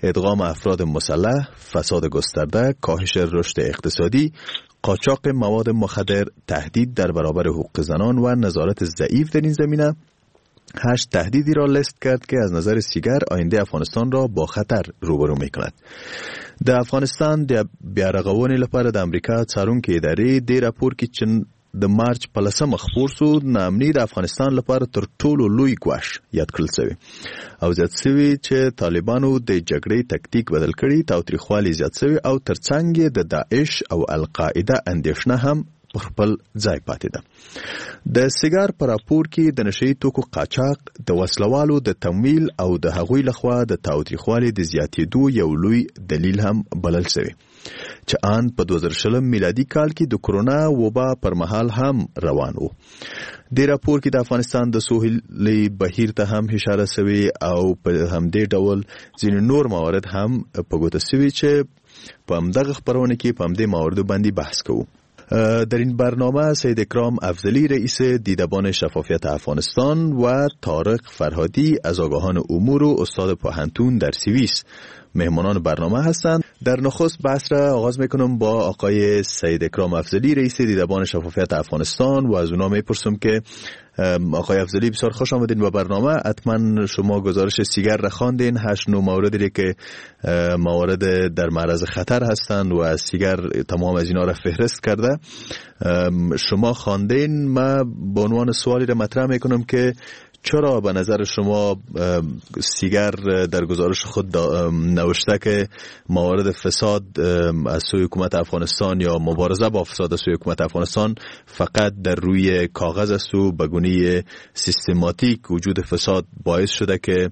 ادغام افراد مسلح، فساد گسترده، کاهش رشد اقتصادی، قاچاق مواد مخدر، تهدید در برابر حقوق زنان و نظارت ضعیف در این زمینه، هشت تهدیدی را لست کرد که از نظر سیگر آینده افغانستان را با خطر روبرو میکند. د افغانستان د بیارغونې لپاره د امریکا څارونکې ادارې د راپور کې چې د مارچ په لسمه خپور سو، ناامني د افغانستان لپاره تر ټولو لوی ګواښ یاد کړل سوی او زیات سوی چې طالبانو د جګړې تکتیک بدل کړي، تاوتریخوالی زیات سوی او ترڅنګ یې د داعش او القاعده اندېښنه هم پر خپل ځای پاتې ده. د سیګار په راپور کې د نشه یي توکو قاچاق، د وسلوالو د تمویل او د هغوی لخوا د تاوتریخوالي د زیاتېدو یو لوی دلیل هم بلل شوی، چې آن په دوه زره شلم میلادي کال کې د کرونا وبا پر مهال هم روان و. د راپور کې د افغانستان د سهیلي بهیر ته هم اشاره شوې او په همدې ډول ځینې نور موارد هم په ګوته شوي چې په همدغه خپرونه کې په همدې مواردو باندې بحث کوو. در این برنامه سید اکرام افضلی، رئیس دیدبان شفافیت افغانستان، و طارق فرهادی از آگاهان امور و استاد پوهنتون در سوئیس مهمانان برنامه هستند. در نخست بحث را آغاز میکنم با آقای سید اکرام افضلی، رئیس دیدبان شفافیت افغانستان، و از اونا میپرسم که آقای افضلی بسیار خوش آمدین به برنامه. حتما شما گزارش سیگر را خواندین، هشت نوع موردی که موارد در معرض خطر هستند و سیگر تمام از اینا را فهرست کرده، شما خواندین. ما به عنوان سوالی را مطرح میکنم که چرا به نظر شما سیگر در گزارش خود نوشته که موارد فساد از سوی حکومت افغانستان یا مبارزه با فساد از سوی حکومت افغانستان فقط در روی کاغذ است و به گونه سیستماتیک وجود فساد باعث شده که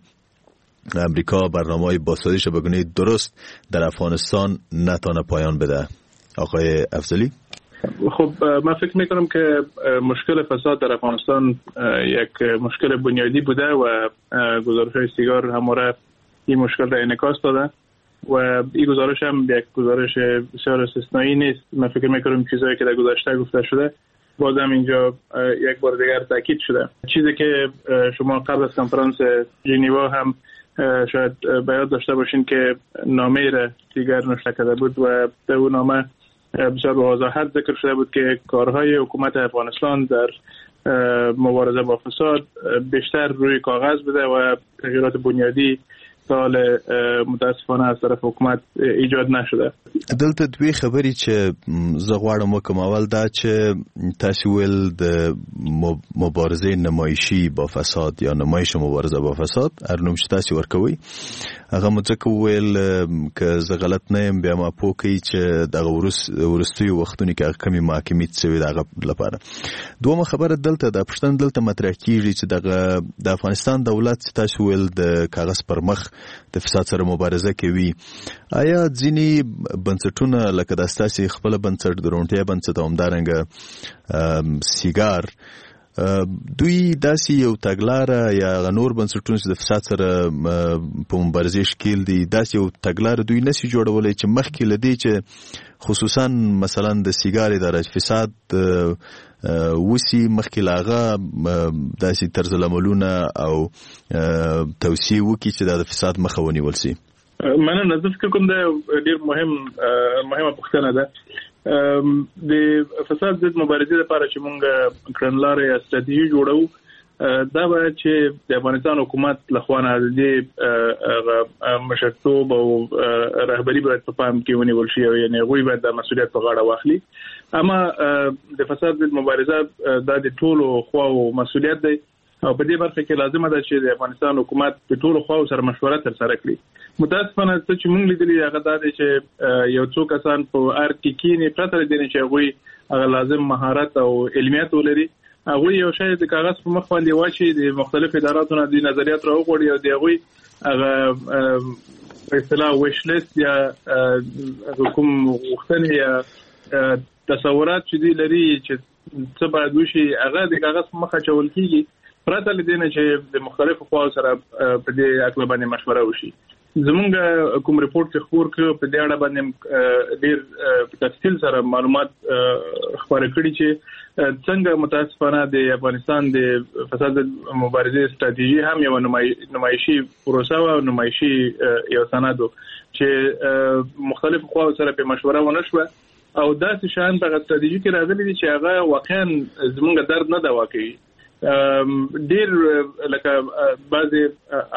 امریکا برنامه‌های بازسازیش به گونه درست در افغانستان نتانه پایان بده؟ آقای افضلی. خب من فکر میکنم که مشکل فساد در افغانستان یک مشکل بنیادی بوده و گزارش های سیگار همواره این مشکل را انعکاس داده و این گزارش هم یک گزارش بسیار استثنایی نیست. من فکر میکنم چیزهایی که در گذشته گفته شده بازم اینجا یک بار دیگر تاکید شده. چیزی که شما قبل از کنفرانس ژنوا هم شاید به یاد داشته باشین که نامه را دیگر نوشته کرده بود و در اون نامه بسیار به وضاحت ذکر شده بود که کارهای حکومت افغانستان در مبارزه با فساد بیشتر روی کاغذ بوده و تغییرات بنیادی سال متاسفانه از طرف حکومت ایجاد نشده. دلته دوې خبرې چې زه غواړم وکم. اول دا چې تاسو ویل د مبارزې نمایشي با فساد یا نمایش مبارزه با فساد، هر نوم چې تاسو ورکوي، هغه مو ځکه وویل که زه غلط نه یم بیا ما پوه کړئ چې دغه وروستیو وختونو کې هغه کمې محاکمې شوې د هغه لپاره. دومه خبره دلته د پوښتنه دلته مطرح کیږي چې دغه د افغانستان دولت چې تاسو ویل د کاغذ پر مخ د فساد سره مبارزه کوي، آیا ځینې بنسټونه لکه د ستاسې خپل بنسټ، د روڼتیا بنسټ او همدارنګه سیګار، دوی داسې یو تګلاره یا هغه نور بنسټونه چې د فساد سره په مبارزې ښکیل دي، داسې یو تګلاره دوی نسي جوړولی چې مخکې له دې چې خصوصا مثلا د سیګار اداره فساد وسی مخکې له هغه داسې طرز العملونه او توصیې وکړي چې دا د فساد مخه ونیول سي؟ مننه. زه فکر کوم دا ډېر مهم مهمه پوښتنه ده. د فساد ضد مبارزې لپاره چې مونږ کړنلارې یا ستراتیژي جوړو، دا باید چې د افغانستان حکومت له خوا نه د دې مشرتوب او رهبري باید په پام کې ونیول شي، او یعنې هغوی باید دا مسؤلیت په غاړه واخلي. اما د فساد ضد مبارزه دا د ټولو خواو مسؤلیت دی او په دې برخه کې لازمه ده چې د افغانستان حکومت د ټولو خواو سره مشوره ترسره کړي. متاسفانه څه چې مونږ لیدلي هغه دا دی چې یو څو کسان په ارګ کې کینې پرته له دې نه چې هغوی هغه لازم مهارت او علمیت ولري، هغوی یو شی د کاغذ په مخ باندې واچي، د مختلفو اداراتو نه د نظریات راوغواړي او د هغوی هغه په اصطلاح ویش لیست یا کوم غوښتنې یا تصورات چې دوی لري چې څه باید وشي، هغه د کاغذ په مخ اچول کېږي پرته له دې نه چې د مختلفو خواو سره په دې هکله باندې مشوره وشي. زمونږ کوم رپورټ چې خپور کړ په دې اړه باندې ډېر په تفصیل سره معلومات خپاره کړي چې څنګه متاسفانه د افغانستان د فساد مبارزې ستراتیژي هم یو نمایشي پروسه وه او نمایشي یو سند و چې مختلفو خواو سره په مشوره ونه شوه او داسې شیان په هغه ستراتیژي کې راغلي دي چې هغه واقعا زمونږ درد نه دوا کوي. ډیر لکه بعضې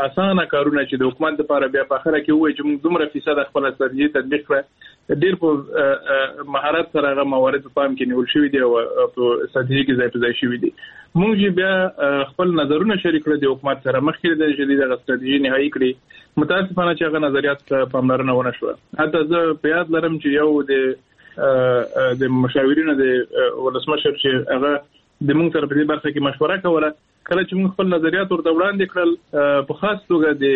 اسانه کارونه چې د حکومت لپاره بیا په اخره کې ووایي چې موږ دومره فیصد خپله ستراتیژي تطبیق کړه، ډیر په مهارت سره هغه موارد په پام کې نیول شوي دي او په ستراتیژي کې ځای په ځای شوي دي. موږ چې بیا خپل نظرونه شریک کړل د حکومت سره مخکې له دې چې دوی دغه ستراتیژي نهایي کړي، متاسفانه چې هغه نظریات ته پاملرنه ونه شوه. حتی زه په یاد لرم چې یو د د مشاورینو د ولسمشر چې هغه د موږ سره په دې برخه کې مشوره کوله، کله چې موږ خپل نظریات ورته وړاندې کړل، په خاص توګه د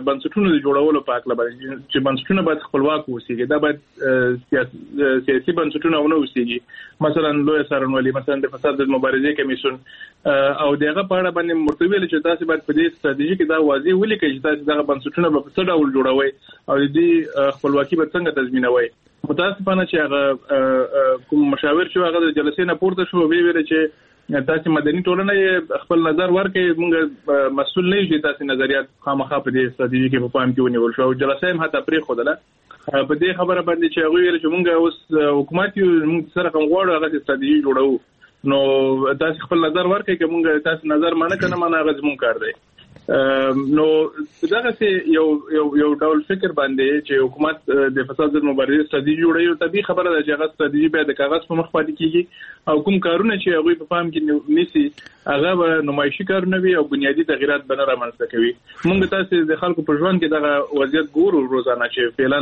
بنسټونو د جوړولو په هکله باندې چې بنسټونه باید خپلواک اوسېږي، دا باید سیاسي بنسټونه ونه اوسېږي، مثلا لوی څارنوالي، مثلا د فساد د مبارزې کمیسیون، او د هغه په اړه باندې ورته ویل چې تاسو باید په دې ستراتیژي کې دا واضح ولیکئ چې تاسو دغه بنسټونه به په څه ډول جوړوئ او د دې خپلواکي به څنګه تضمینوئ. متاسفانه چې هغه کوم مشاور چې هغه د جلسې نه پورته شو، ویې ویل چې تاسو مدني ټولنه خپل نظر ورکړئ، موږ مسؤل نه یو چې تاسو نظریات خامخا په دې ستراتیژي کې په پام کې ونیول شو. او جلسه هم حتی پرېښودله په دې خبره باندې چې هغوی ویل چې موږ اوس حکومت یو، موږ سره کوم غواړو هغه ستراتیژي جوړوو، نو تاسو خپل نظر ورکړئ، که موږ تاسو نظر منه که نه منه هغه زموږ کار دی. نو دغه یو یو یو ډول فکر باندې چې حکومت د فساد ضد مبارزې ستراتیژي جوړوي، طبیعي خبره ده چې هغه ستراتیژي بیا د کاغذ په مخ پاتې کیږي او کوم کارونه چې هغوی په پام کې نیسي هغه به نمایشي کارونه وي او بنیادي تغیرات به نه رامنځته کوي. موږ تاسو د خلکو په ژوند کې دغه وضعیت ګورو روزانه چې فعلا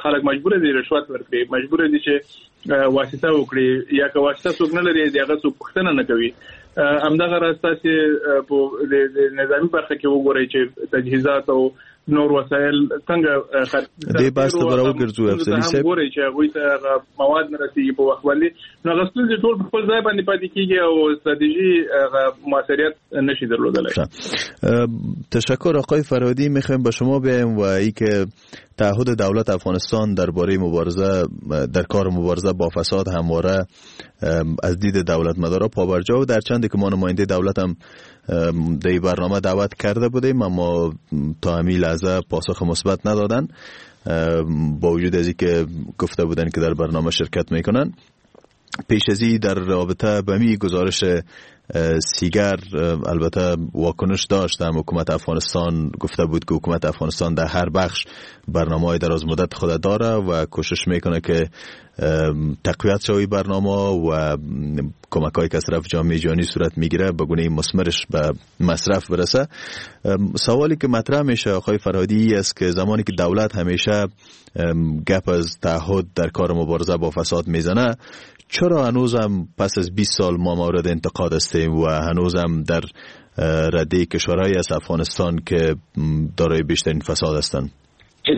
خلک مجبور دي رشوت ورکړي، مجبور دي چې واسطه وکړي، یا که واسطه څوک نه لري د هغه څوک پوښتنه نه کوي. همدغه راز تاسو په نظامي برخه کې وګورئ چې تجهیزات او نور وسایل څنګه دې بحث ته به راوګرځو. افضلي صاحب ګورئ چې هغوی ته هغه مواد نه رسېږي په وخت باندې، نو هغه ستونزې ټول په خپل ځای باندې پاتې کیږي او استراتژي هغه موثریت نشي درلودلی. تشکر آقای فرهادی. میخوایم با شما بیایم و ای که تعهد دولت افغانستان درباره مبارزه در کار مبارزه با فساد همواره از دید دولت مدارا پابرجا و در چندی که ما نماینده دولت هم در برنامه دعوت کرده بودیم اما تا همین لحظه پاسخ مثبت ندادن، با وجود از اینکه گفته بودن که در برنامه شرکت میکنن. پیش از این در رابطه به می گزارش سیگر البته واکنش داشت، هم حکومت افغانستان گفته بود که حکومت افغانستان در هر بخش برنامه‌های دراز مدت خود داره و کوشش میکنه که تقویت شوی برنامه و کمک‌های که از طرف جامعه جهانی صورت میگیره به گونه مثمرش به مصرف برسه. سوالی که مطرح میشه آقای فرهادی است که زمانی که دولت همیشه گپ از تعهد در کار مبارزه با فساد میزنه، چرا هنوزم پس از بیست سال ما مورد انتقاد هستیم و هنوزم در رده کشورهای از افغانستان که دارای بیشترین فساد هستند؟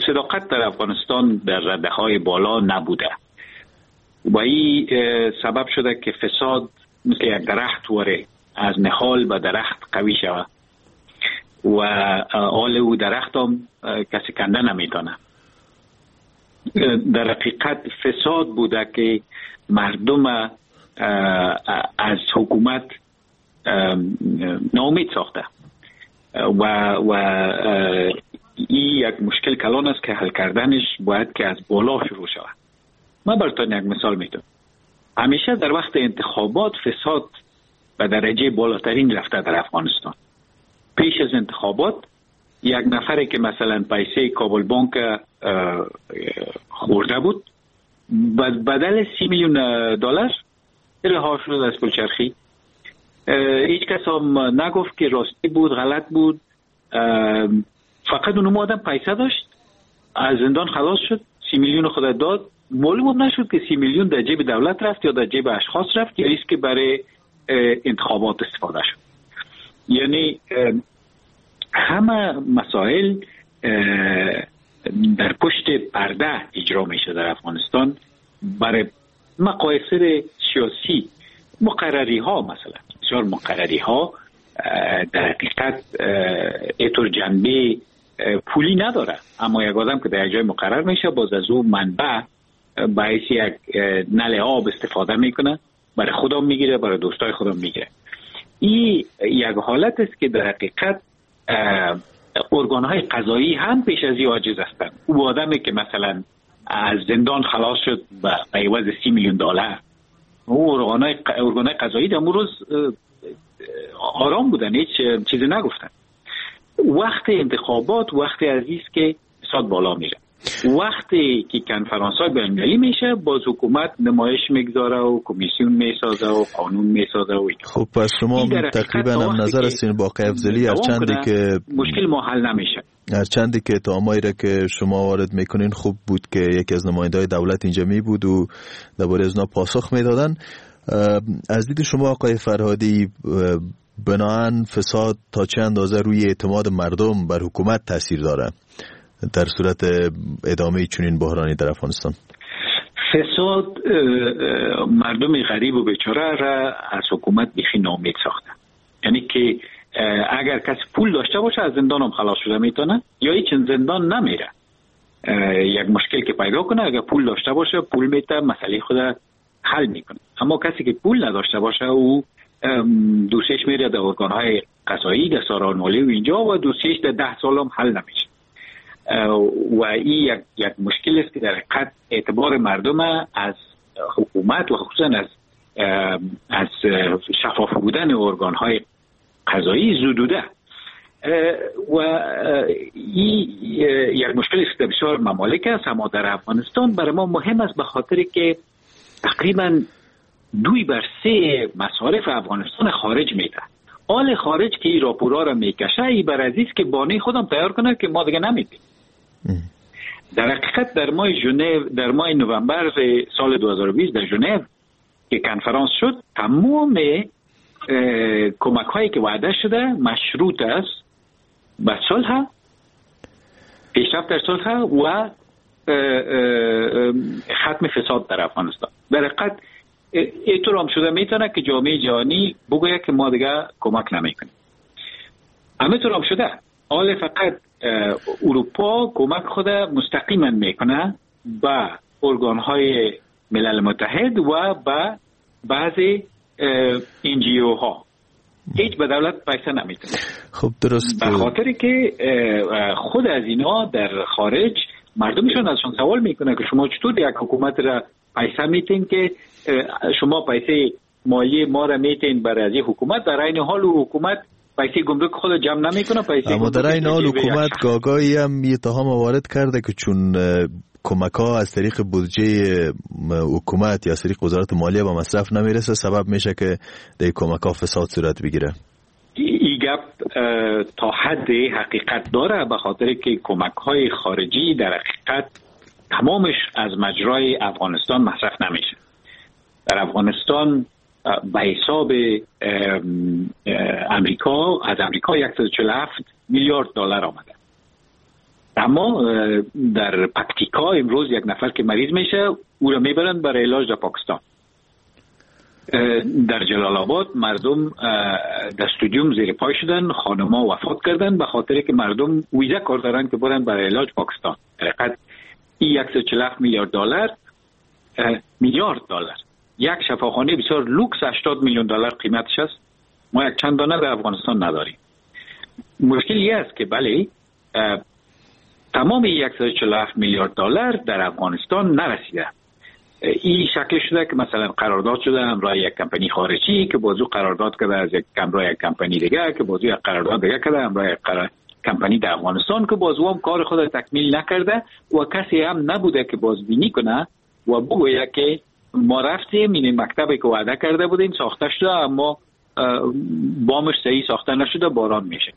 صداقت در افغانستان در رده های بالا نبوده و این سبب شده که فساد مثل یک درخت واره از نهال به درخت قوی شود و آل او درخت هم کسی کنده نمیتونه. در حقیقت فساد بوده که مردم از حکومت ناامید ساخته و و این یک مشکل کلان است که حل کردنش باید که از بالا شروع شود. من براتون یک مثال میدم. همیشه در وقت انتخابات فساد به درجه بالاترین رفته در افغانستان. پیش از انتخابات یک نفری که مثلا پیسه کابل بانک خورده بود بدل سی میلیون دلار رها شد از پلچرخی. هیچ کس هم نگفت که راستی بود غلط بود، فقط اون آدم پیسه داشت، از زندان خلاص شد، سی میلیون خود داد. معلوم نشد که سی میلیون در جیب دولت رفت یا در جیب اشخاص رفت یا ایست که برای انتخابات استفاده شد. یعنی همه مسائل در پشت پرده اجرا میشه در افغانستان برای مقایسه سیاسی. مقرری ها مثلا بسیار مقرری ها در حقیقت اینطور جنبه پولی نداره، اما یک آدم که در یک جای مقرر میشه باز از او منبع باعث یک نل آب استفاده میکنه، برای خودم میگیره، برای دوستای خودم میگیره. این یک حالت است که در حقیقت ارگان‌های قضایی هم پیش از این عاجز هستند. او آدمی که مثلا از زندان خلاص شد به عوض سی میلیون دلار، او ارگان‌های ارگان‌های قضایی در اون روز آرام بودن، هیچ چیزی نگفتن. وقت انتخابات وقت عزیز که فساد بالا میره، وقتی که کنفرانس های بین‌المللی میشه باز حکومت نمایش میگذاره و کمیسیون میسازه و قانون میسازه و اینا. خب پس شما تقریبا هم نظر هستین با آقای افضلی، هرچندی که مشکل ما حل نمیشه. هرچندی که اتهامایی را که شما وارد میکنین خوب بود که یکی از نماینده‌های دولت اینجا می بود و درباره از اونا پاسخ میدادن. از دید شما آقای فرهادی، بناهن فساد تا چه اندازه روی اعتماد مردم بر حکومت تاثیر داره در صورت ادامه چنین بحرانی در افغانستان؟ فساد مردم غریب و بیچاره را از حکومت بیخی ناامید ساخته. یعنی که اگر کسی پول داشته باشه از زندان هم خلاص شده میتونه یا هیچ زندان نمیره. یک مشکل که پیدا کنه اگر پول داشته باشه پول میته، مسئله خود حل میکنه. اما کسی که پول نداشته باشه او دوسیش میره در ارگانهای قضایی، در سارانوالی و اینجا، و دوسیش در ده سال هم حل نمیشه. و این یک, یک مشکل است که در حقیقت اعتبار مردم از حکومت و خصوصا از از شفاف بودن ارگانهای قضایی زدوده. و این یک مشکل است که بسیار ممالک است، اما در افغانستان برای ما مهم است به خاطر که تقریبا دوی بر سه مصارف افغانستان خارج میده. آل خارج که این راپورا را میکشه، ای بر عزیز که بانه خودم تیار کنه که ما دیگه نمیدیم. در حقیقت در ماه ژنو، در ماه نوامبر سال دو هزار و بیست در ژنو که کنفرانس شد، تمام کمک هایی که وعده شده مشروط است به صلح، پیشرفت در صلح و ختم فساد در افغانستان. در حقیقت اینطور هم شده میتونه که جامعه جهانی بگوید که ما دیگه کمک نمیکنیم. همینطور هم شده. حال فقط اروپا کمک خود مستقیما میکنه به ارگانهای ملل متحد و به بعضی ان جی او ها. هیچ به دولت پیسه نمیتونه. خب درست. به خاطر که خود از اینا در خارج مردمشون ازشون سوال میکنه که شما چطور یک حکومت را پیسه میتین که شما پیسه مالی ما را میتین برای از حکومت، در عین حال حکومت پیسه گمرک خود جمع نمیکنه، پیسه اما در عین حال حکومت گاگایی هم یه اتهام وارد کرده که چون کمک ها از طریق بودجه حکومت یا از طریق وزارت مالیه به مصرف نمیرسه، سبب میشه که در کمک ها فساد صورت بگیره. این گپ تا حد حقیقت داره، به خاطر که کمک های خارجی در حقیقت تمامش از مجرای افغانستان مصرف نمیشه. در افغانستان به حساب امریکا، از امریکا صد و چهل و هفت میلیارد دلار آمده، اما در پکتیکا امروز یک نفر که مریض میشه او را میبرند برای علاج در پاکستان. در جلال آباد مردم در استادیوم زیر پای شدن، خانم‌ها وفات کردن به خاطر که مردم ویزا کار دارن که برن برای علاج پاکستان. در حقیقت این صد و چهل و هفت میلیارد دلار میلیارد دلار یک شفاخانه بسیار لوکس هشتاد میلیون دلار قیمتش است. ما یک چند دانه در افغانستان نداریم. مشکل این است که بله تمام صد و چهل و هفت میلیارد دلار در افغانستان نرسیده. این شکل شده که مثلا قرارداد شده همراه یک کمپانی خارجی که بازو قرارداد کرده از یک همراه یک کمپانی دیگه که بازو یک قرارداد دیگه کرده همراه یک قرار... کمپانی در افغانستان که بازو هم کار خود تکمیل نکرده و کسی هم نبوده که بازبینی کنه و بگوید که ما رفتیم این مکتبی که وعده کرده بودیم ساخته شده، اما بامش صحیح ساخته نشده، باران میشه،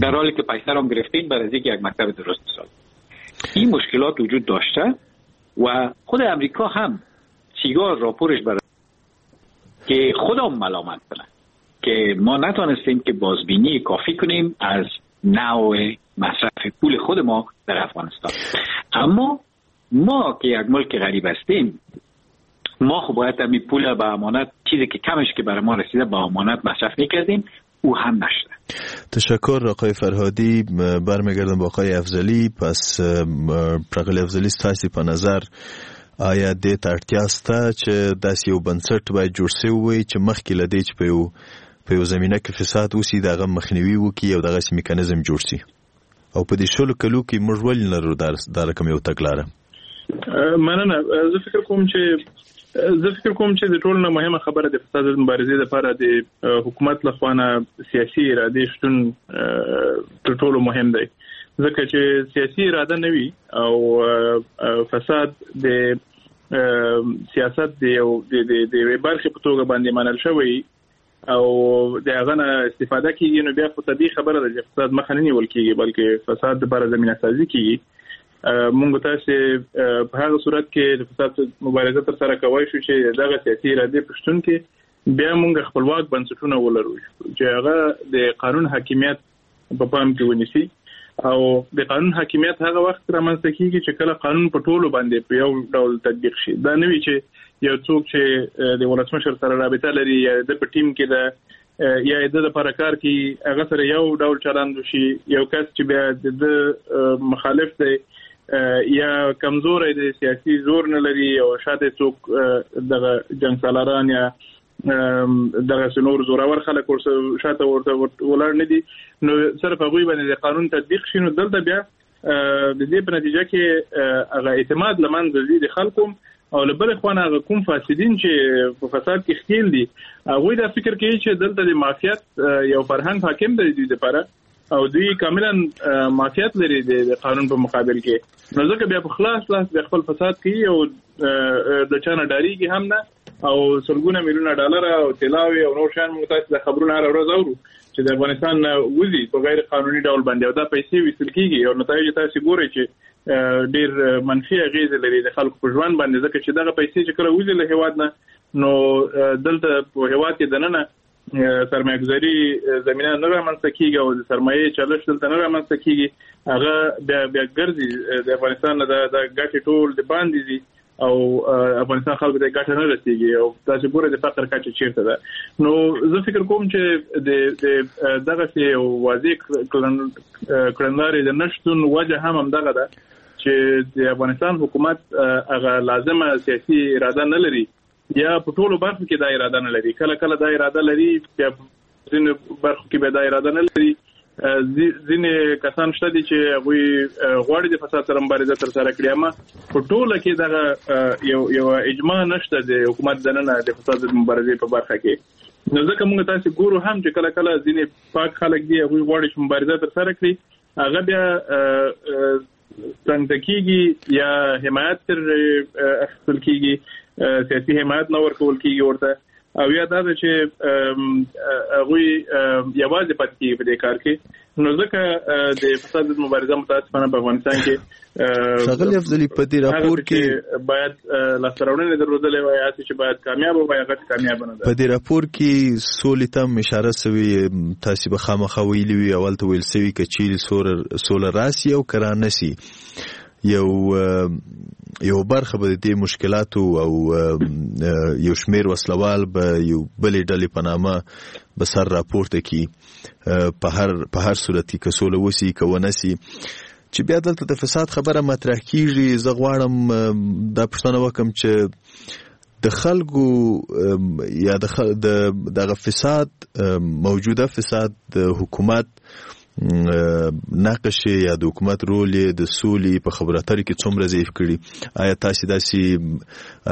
در حالی که پیسه رو گرفتیم برای اینکه یک مکتب درست بسازیم. این مشکلات وجود داشته و خود امریکا هم سیگار راپورش برای که خودم ملامت کنه که ما نتونستیم که بازبینی کافی کنیم از نوع مصرف پول خود ما در افغانستان. اما ما که یک ملک غریب هستیم، ما خب باید همین پول به امانت، چیزی که کمش که برای ما رسیده به امانت مصرف میکردیم، او هم نشده. تشکر آقای فرهادی. برمیگردم با آقای افضلی. پس آقای افضلی، ستاسو په نظر آیا دې ته اړتیا شته چې داسې یو بنسټ باید جوړ شوی وي چې مخکې له دې چې په یو په یو زمینه کې فساد وسي د هغه مخنیوي وکړي او دغسې میکانیزم جوړ شي؟ او په دې شلو کلو کې موږ ولې نه لرو دا رقم یو تګلاره؟ مننه. زه فکر کوم چې زه فکر کوم چې د ټولو نه مهمه خبره د فساد مبارزې لپاره د حکومت له خوا نه سیاسي ارادې شتون تر ټولو مهم دی، ځکه چې سیاسي اراده نه وي او فساد د سیاست د یو د د یوې برخې په توګه باندې منل شوی، او د هغه نه استفاده کیږي، نو بیا خو طبیعي خبره ده چې فساد مخه نه نیول کیږي، بلکې فساد لپاره زمینه سازي کیږي. مونږ تاسو په هغه صورت کې د فساد مبارزه تر سره کوی شو چې دغه سیاسي ارادې په شتون کې بیا مونږ خپلواک بنسټونه ولرو چې هغه د قانون حاکمیت په پام کې ونیسي. او د قانون حاکمیت هغه وخت رامنځته کیږي چې کله قانون په ټولو باندې په یو ډول تطبیق شي. دا نه وي چې یو څوک چې د ولسمشر سره رابطه لري یا د په ټیم کې ده یا د لپاره کار کوي هغه سره یو ډول چلند وشي، یو کس چې بیا د مخالف دی یا کمزوری دی، سیاسي زور نه لري او شاته څوک دغه جنګ سالاران یا دغه نور زورور خلک ورسره شاته ورته ولاړ نه دي، نو صرف هغوی باندې د قانون تطبیق شي. نو دلته بیا د دې په نتیجه کې هغه اعتماد له منځه ځي د خلکو، او له بلې خوا نه هغه کوم فاسدین چې په فساد کې ښکېل دي هغوی دا فکر کوي چې دلته د مافیت یو فرهنګ حاکم دی دوی دپاره، او دوی کاملا مافیت لري د قانون په مقابل کې، نو ځکه بیا په خلاص لاس د خپل فساد کوي او د چا نه ډارېږي هم نه، او سلګونه میلیونه ډالر او طلاوې او نور شیان موږ تاسو د خبرونه هره ورځ اورو چې د افغانستان نه وځي په غیر قانوني ډول باندې، او دا پیسې ویستل کېږي او نتایج تاسو ګورئ چې ډېر منفي اغېزې لري د خلکو په ژوند باندې، ځکه چې دغه پیسې چې کله وځي له هېواد نه نو دلته په هېواد کې دننه سرمایه‌ګذاري زمینه نه رامنځته کېږي او د سرمایې چلش دلته نه رامنځته کېږي، هغه بیا بیا ګرځي د افغانستان نه د ګټې ټول د باندې ځي او افغانستان خلکو ته ګټه نه رسیږي، او تاسو ګورئ د فقر کچه چیرته ده. نو زه فکر کوم چې د دغسې یو واضح کړنلارې د نشتون وجه هم همدغه ده چې د افغانستان حکومت هغه لازمه سیاسي اراده نه لري، یا په ټولو برخو کې دا اراده نه لري. کله کله دا اراده لري، بیا ځینو برخو کې بیا دا اراده نه لري. ځینې کسان شته دي چې هغوی غواړي د فساد سره مبارزه ترسره کړي، اما په ټوله کې دغه یو یو اجماع نشته د حکومت دننه د فساد د مبارزې په برخه کې. نو ځکه موږ تاسو ګورو هم چې کله کله ځینې پاک خلک دي هغوی غواړي چې مبارزه ترسره کړي، هغه بیا څنګه کیږي یا حمایت تر اخیستل کیږي، سیاسي حمایت نه ورکول کیږي ورته، او یا دا چې هغوی یوازې پاتې کیږي په دې کار کې. نو ځکه د فساد مبارزه متاسفانه په افغانستان کې ښاغلی افضلي په دې راپور کې باید لاسته راوړنې درلودلې وای، هسې چې باید کامیاب وای، هغه کامیاب نه ده. په دې راپور کې سولې ته هم اشاره سوې، تاسې به خامخا ویلي وي، اول ته ویل سوي که چیرې سوله راسي او که رانه سي یو یو برخه به د دې مشکلاتو او یو شمیر وسلوال به یو بلې ډلې په نامه به سر راپورته کړي په هر په هر صورت کې، که سوله وسي که ونه سي. چې بیا دلته د فساد خبره مطرح کیږي، زه غواړم دا پوښتنه وکړم چې د خلکو یا د دغه فساد، موجوده فساد د حکومت نقش یا د حکومت رول د سولې په خبرو اترو کې څومره ضعیف کړي؟ آیا تاسې داسې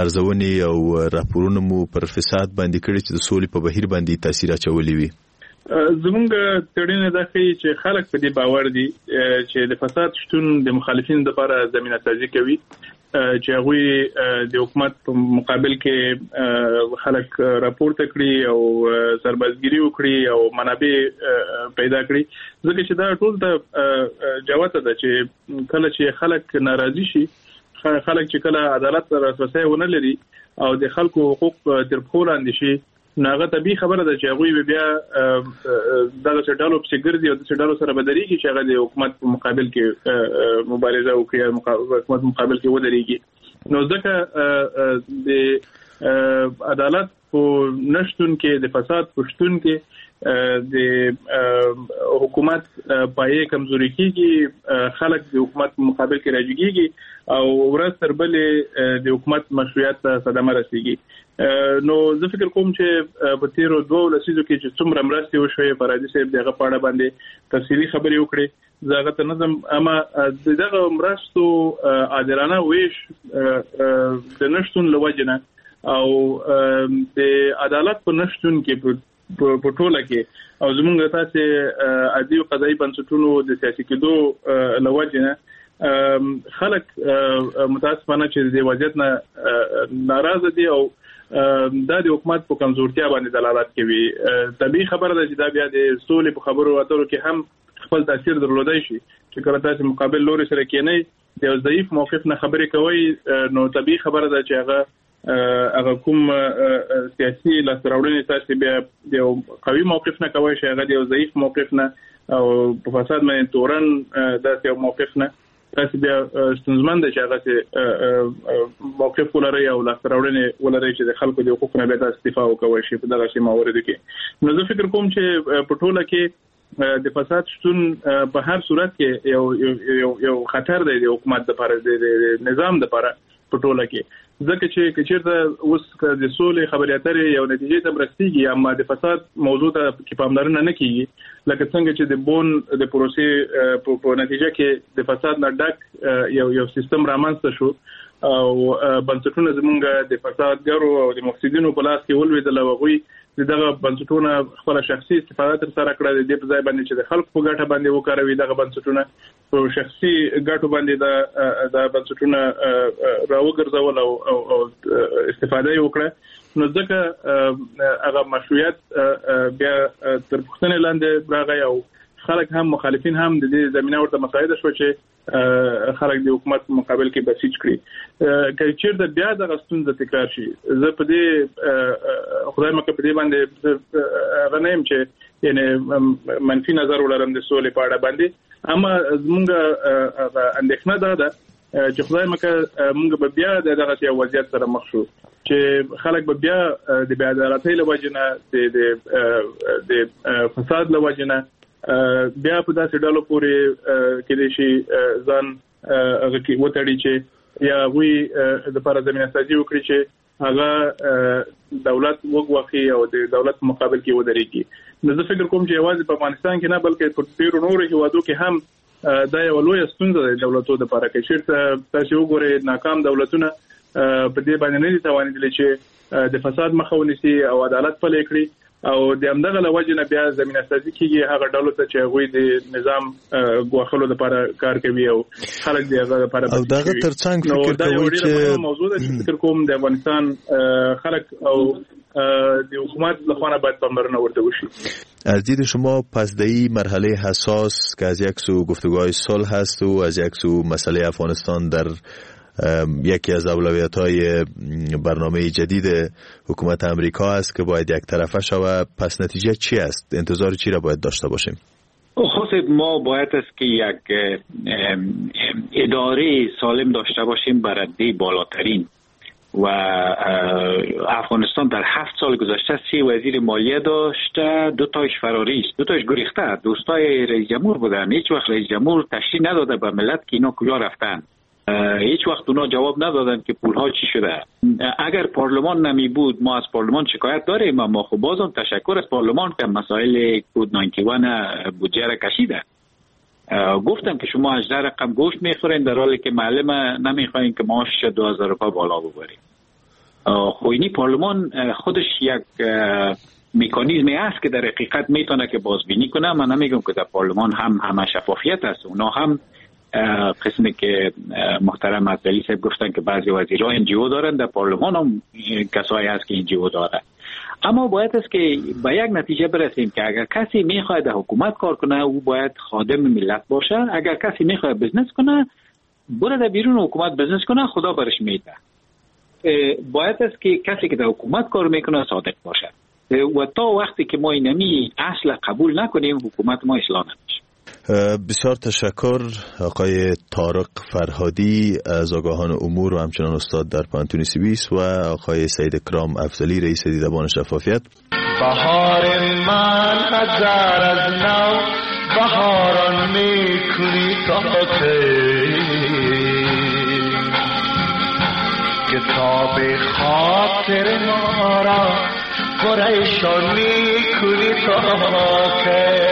ارزونې او راپورونه مو پر فساد باندې کړي چې د سولې په بهیر باندې تاثیر اچولی وي؟ زمونږ څېړنې دا ښيي چې خلک په دې باور دي چې د فساد شتون د مخالفینو لپاره زمینه سازي کوي، چې هغوی د حکومت په مقابل کې خلک راپورته کړي او سربازګیري وکړي او منابع پیدا کړي، ځکه چې دا ټول ته جوته ده چې کله چې خلک ناراضي شي، خلک چې کله عدالت ته لاسرسی ونه لري او د خلکو حقوق تر پښو لاندې شي، نو هغه طبیعي خبره ده چې هغوی به بیا دغسې ډلو پسې ګرځي او داسې ډلو سره به درېږي چې هغه د حکومت په مقابل کې مبارزه وکړي، حکومت مقابل کې ودرېږي. نو ځکه د عدالت په نشتون کې، د فساد په شتون کې د حکومت پایې کمزوري کیږي، خلک د حکومت په مقابل کې راجګیږي او ورځ تر بلې د حکومت مشروعیت ته صدمه رسیږي. نو زه فکر کوم چې په تیرو دوو لسیزو کې چې څومره مرستې وشوې، فرادي صاحب د هغه په اړه باندې تفصیلي خبرې وکړې، زه هغه ته نه ځم، اما د دغه مرستو عادلانه ویش د نشتون له وجې نه او د عدالت په نشتون کې په ټوله کې او زمونږ تاسې عدلي او قضایي بنسټونو د سیاسي کېدو له وجې نه خلک متاسفانه چې د وضعیت نه ناراضه دي او دا د حکومت په کمزورتیا باندې دلالت کوي. طبیعي خبره ده چې دا بیا د سولې په خبرو اترو کې هم خپل تاثیر درلودای شي، چې کله تاسو مقابل لوري سره کېنئ د یو ضعیف موقف نه خبرې کوئ، نو طبیعي خبره ده چې هغه هغه کوم سیاسي لاسته راوړنې تاسو بیا د یو قوي موقف نه کوی شي، هغه د یو ضعیف موقف نه او په فساد باندې تورن داسې یو موقف نه تاسو بیا ستونزمن دی چې هغسې موقف ولرئ او لاسته راوړنې ولرئ چې د خلکو د حقوقو نه بیا تاسو دفاع وکوی شي په دغسې مواردو کې. نو زه فکر کوم چې په ټوله کې د فساد شتون په هر صورت کې یو یو یو خطر دی د حکومت لپاره، د نظام لپاره په ټوله کې، ځکه چې که چېرته اوس د سولې خبرې اترې یو نتیجې ته رسیږي اما د فساد موضوع ته کې پاملرنه نه کیږي، لکه څنګه چې د بون د پروسې په نتیجه کې د فساد نه ډک یو یو سیستم رامنځته شو او بنسټونه زمونږ د فسادګرو او د مفسدینو په لاس کې ولوېدل او هغوی د دغه بنسټونه خپله شخصي استفاده ترسره کړه، د دې په ځای باندې چې د خلکو په ګټه باندې وکاروي دغه بنسټونه په شخصي ګټو باندې دا دا بنسټونه راوګرځول او او استفاده یې وکړه. نو ځکه هغه مشروعیت بیا تر پوښتنې لاندې راغی او خلک هم مخالفین هم د دې زمینه ورته مساعده شوه چې خلک د حکومت په مقابل کې بسیج کړي. که چېرته بیا دغه ستونزه تکرار شي، زه په دې خدای مکه په دې باندې هغه نه یم چې یعنې منفي نظر ولرم د سولې په اړه باندې، اما زمونږ اندېښنه دا ده چې خدای مکه مونږ به بیا د دغسې یو وضعیت سره مخ شو چې خلک به بیا د بې عدالتۍ له وجې نه، د د فساد له وجې نه بیا په داسې ډلو پورې کېدای شي ځان هغه کې وتړي چې یا هغوی دپاره زمینه سازي وکړي چې هغه دولت وګواښي او د دولت په مقابل کې ودرېږي. نو زه فکر کوم چې یوازې په افغانستان کې نه بلکې په ډېرو نورو هېوادو کې هم دا یوه لویه ستونزه ده دولتو دپاره. که چېرته تاسې وګورئ ناکام دولتونه په دې باندې نه دي توانېدلي چې د فساد مخه ونیسي او عدالت پلی کړي، او د همدغه له وجې نه بیا زمینه سازي کېږي هغه ډلو ته چې هغوی د نظام ګواښلو لپاره کار کوي او خلک د هغه لپاره او د هغه ترڅنګ فکر کوي چې دا موضوع ده چې فکر کوم د افغانستان خلک او د حکومت له خوا نه باید پاملرنه ورته وشي. از دید شما پس در این مرحله حساس که از یک سو گفتگوهای صلح هست و از یک سو مسئله افغانستان در یکی از اولویت‌های برنامه جدید حکومت امریکا است که باید یک طرفه شود، پس نتیجه چی است؟ انتظار چی را باید داشته باشیم؟ خب ما باید است که یک اداره سالم داشته باشیم برده بالاترین، و افغانستان در هفت سال گذشته سه وزیر مالیه داشته، دو تایش فراری است، دو تایش گریخته، دوستای رئیس جمهور بودن. هیچ وقت رئیس جمهور تشریح نداده به ملت که اینا کجا رفتن، هیچ وقت اونا جواب ندادن که پولها چی شده. اگر پارلمان نمی بود، ما از پارلمان شکایت داریم، اما خب بازم تشکر از پارلمان که مسائل کود نود و یک بودجه را کشیده. گفتم که شما هجده رقم گوشت میخورین در حالی که معلم نمیخواین که معاشش دو هزار روپیه بالا ببرین. خب اینی پارلمان خودش یک مکانیزمی است که در حقیقت میتونه که بازبینی کنه. من نمیگم که در پارلمان هم همه شفافیت است، اونا هم قسمی که محترم افضلی صاحب گفتن که بعضی وزیرها ان جی او دارن، در پارلمان هم کسایی هست که ان جی او داره. اما باید است که به یک نتیجه برسیم که اگر کسی میخواد در حکومت کار کنه او باید خادم ملت باشه، اگر کسی میخواد business کنه بره در بیرون حکومت business کنه، خدا برش میده. باید است که کسی که در حکومت کار میکنه صادق باشه، و تا وقتی که ما اینمی اصل قبول نکنیم حکومت ما اصلاح نمیشه. بسیار تشکر آقای طارق فرهادی از آگاهان امور و همچنان استاد در پوهنتون سوئیس و آقای سید کرام افضلی رئیس دیدبان شفافیت. بهار من هزار از نو بهاران میکنی تا کتاب خاطر ما را پریشان میکنی تا که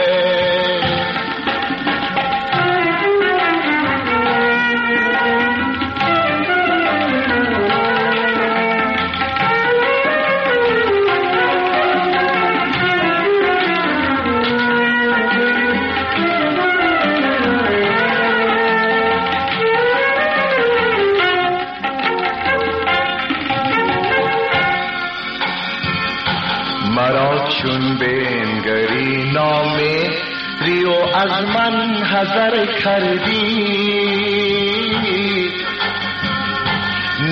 چون بنگری نامهری و از من حذر کردی.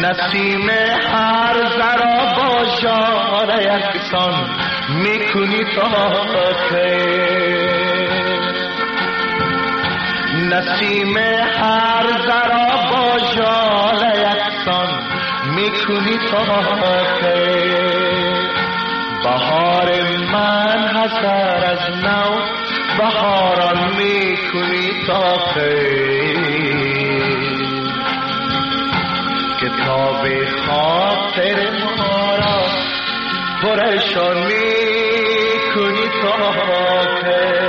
نسیم هر ذرا با ژاله یکسان میکنی تا کی، نسیم هر ذرا با ژاله یکسان میکنی تا کی. بهار من هزار از نو بهاران میکنی تا کی، کتاب خاطر ما را پرشان میکنی تا کی.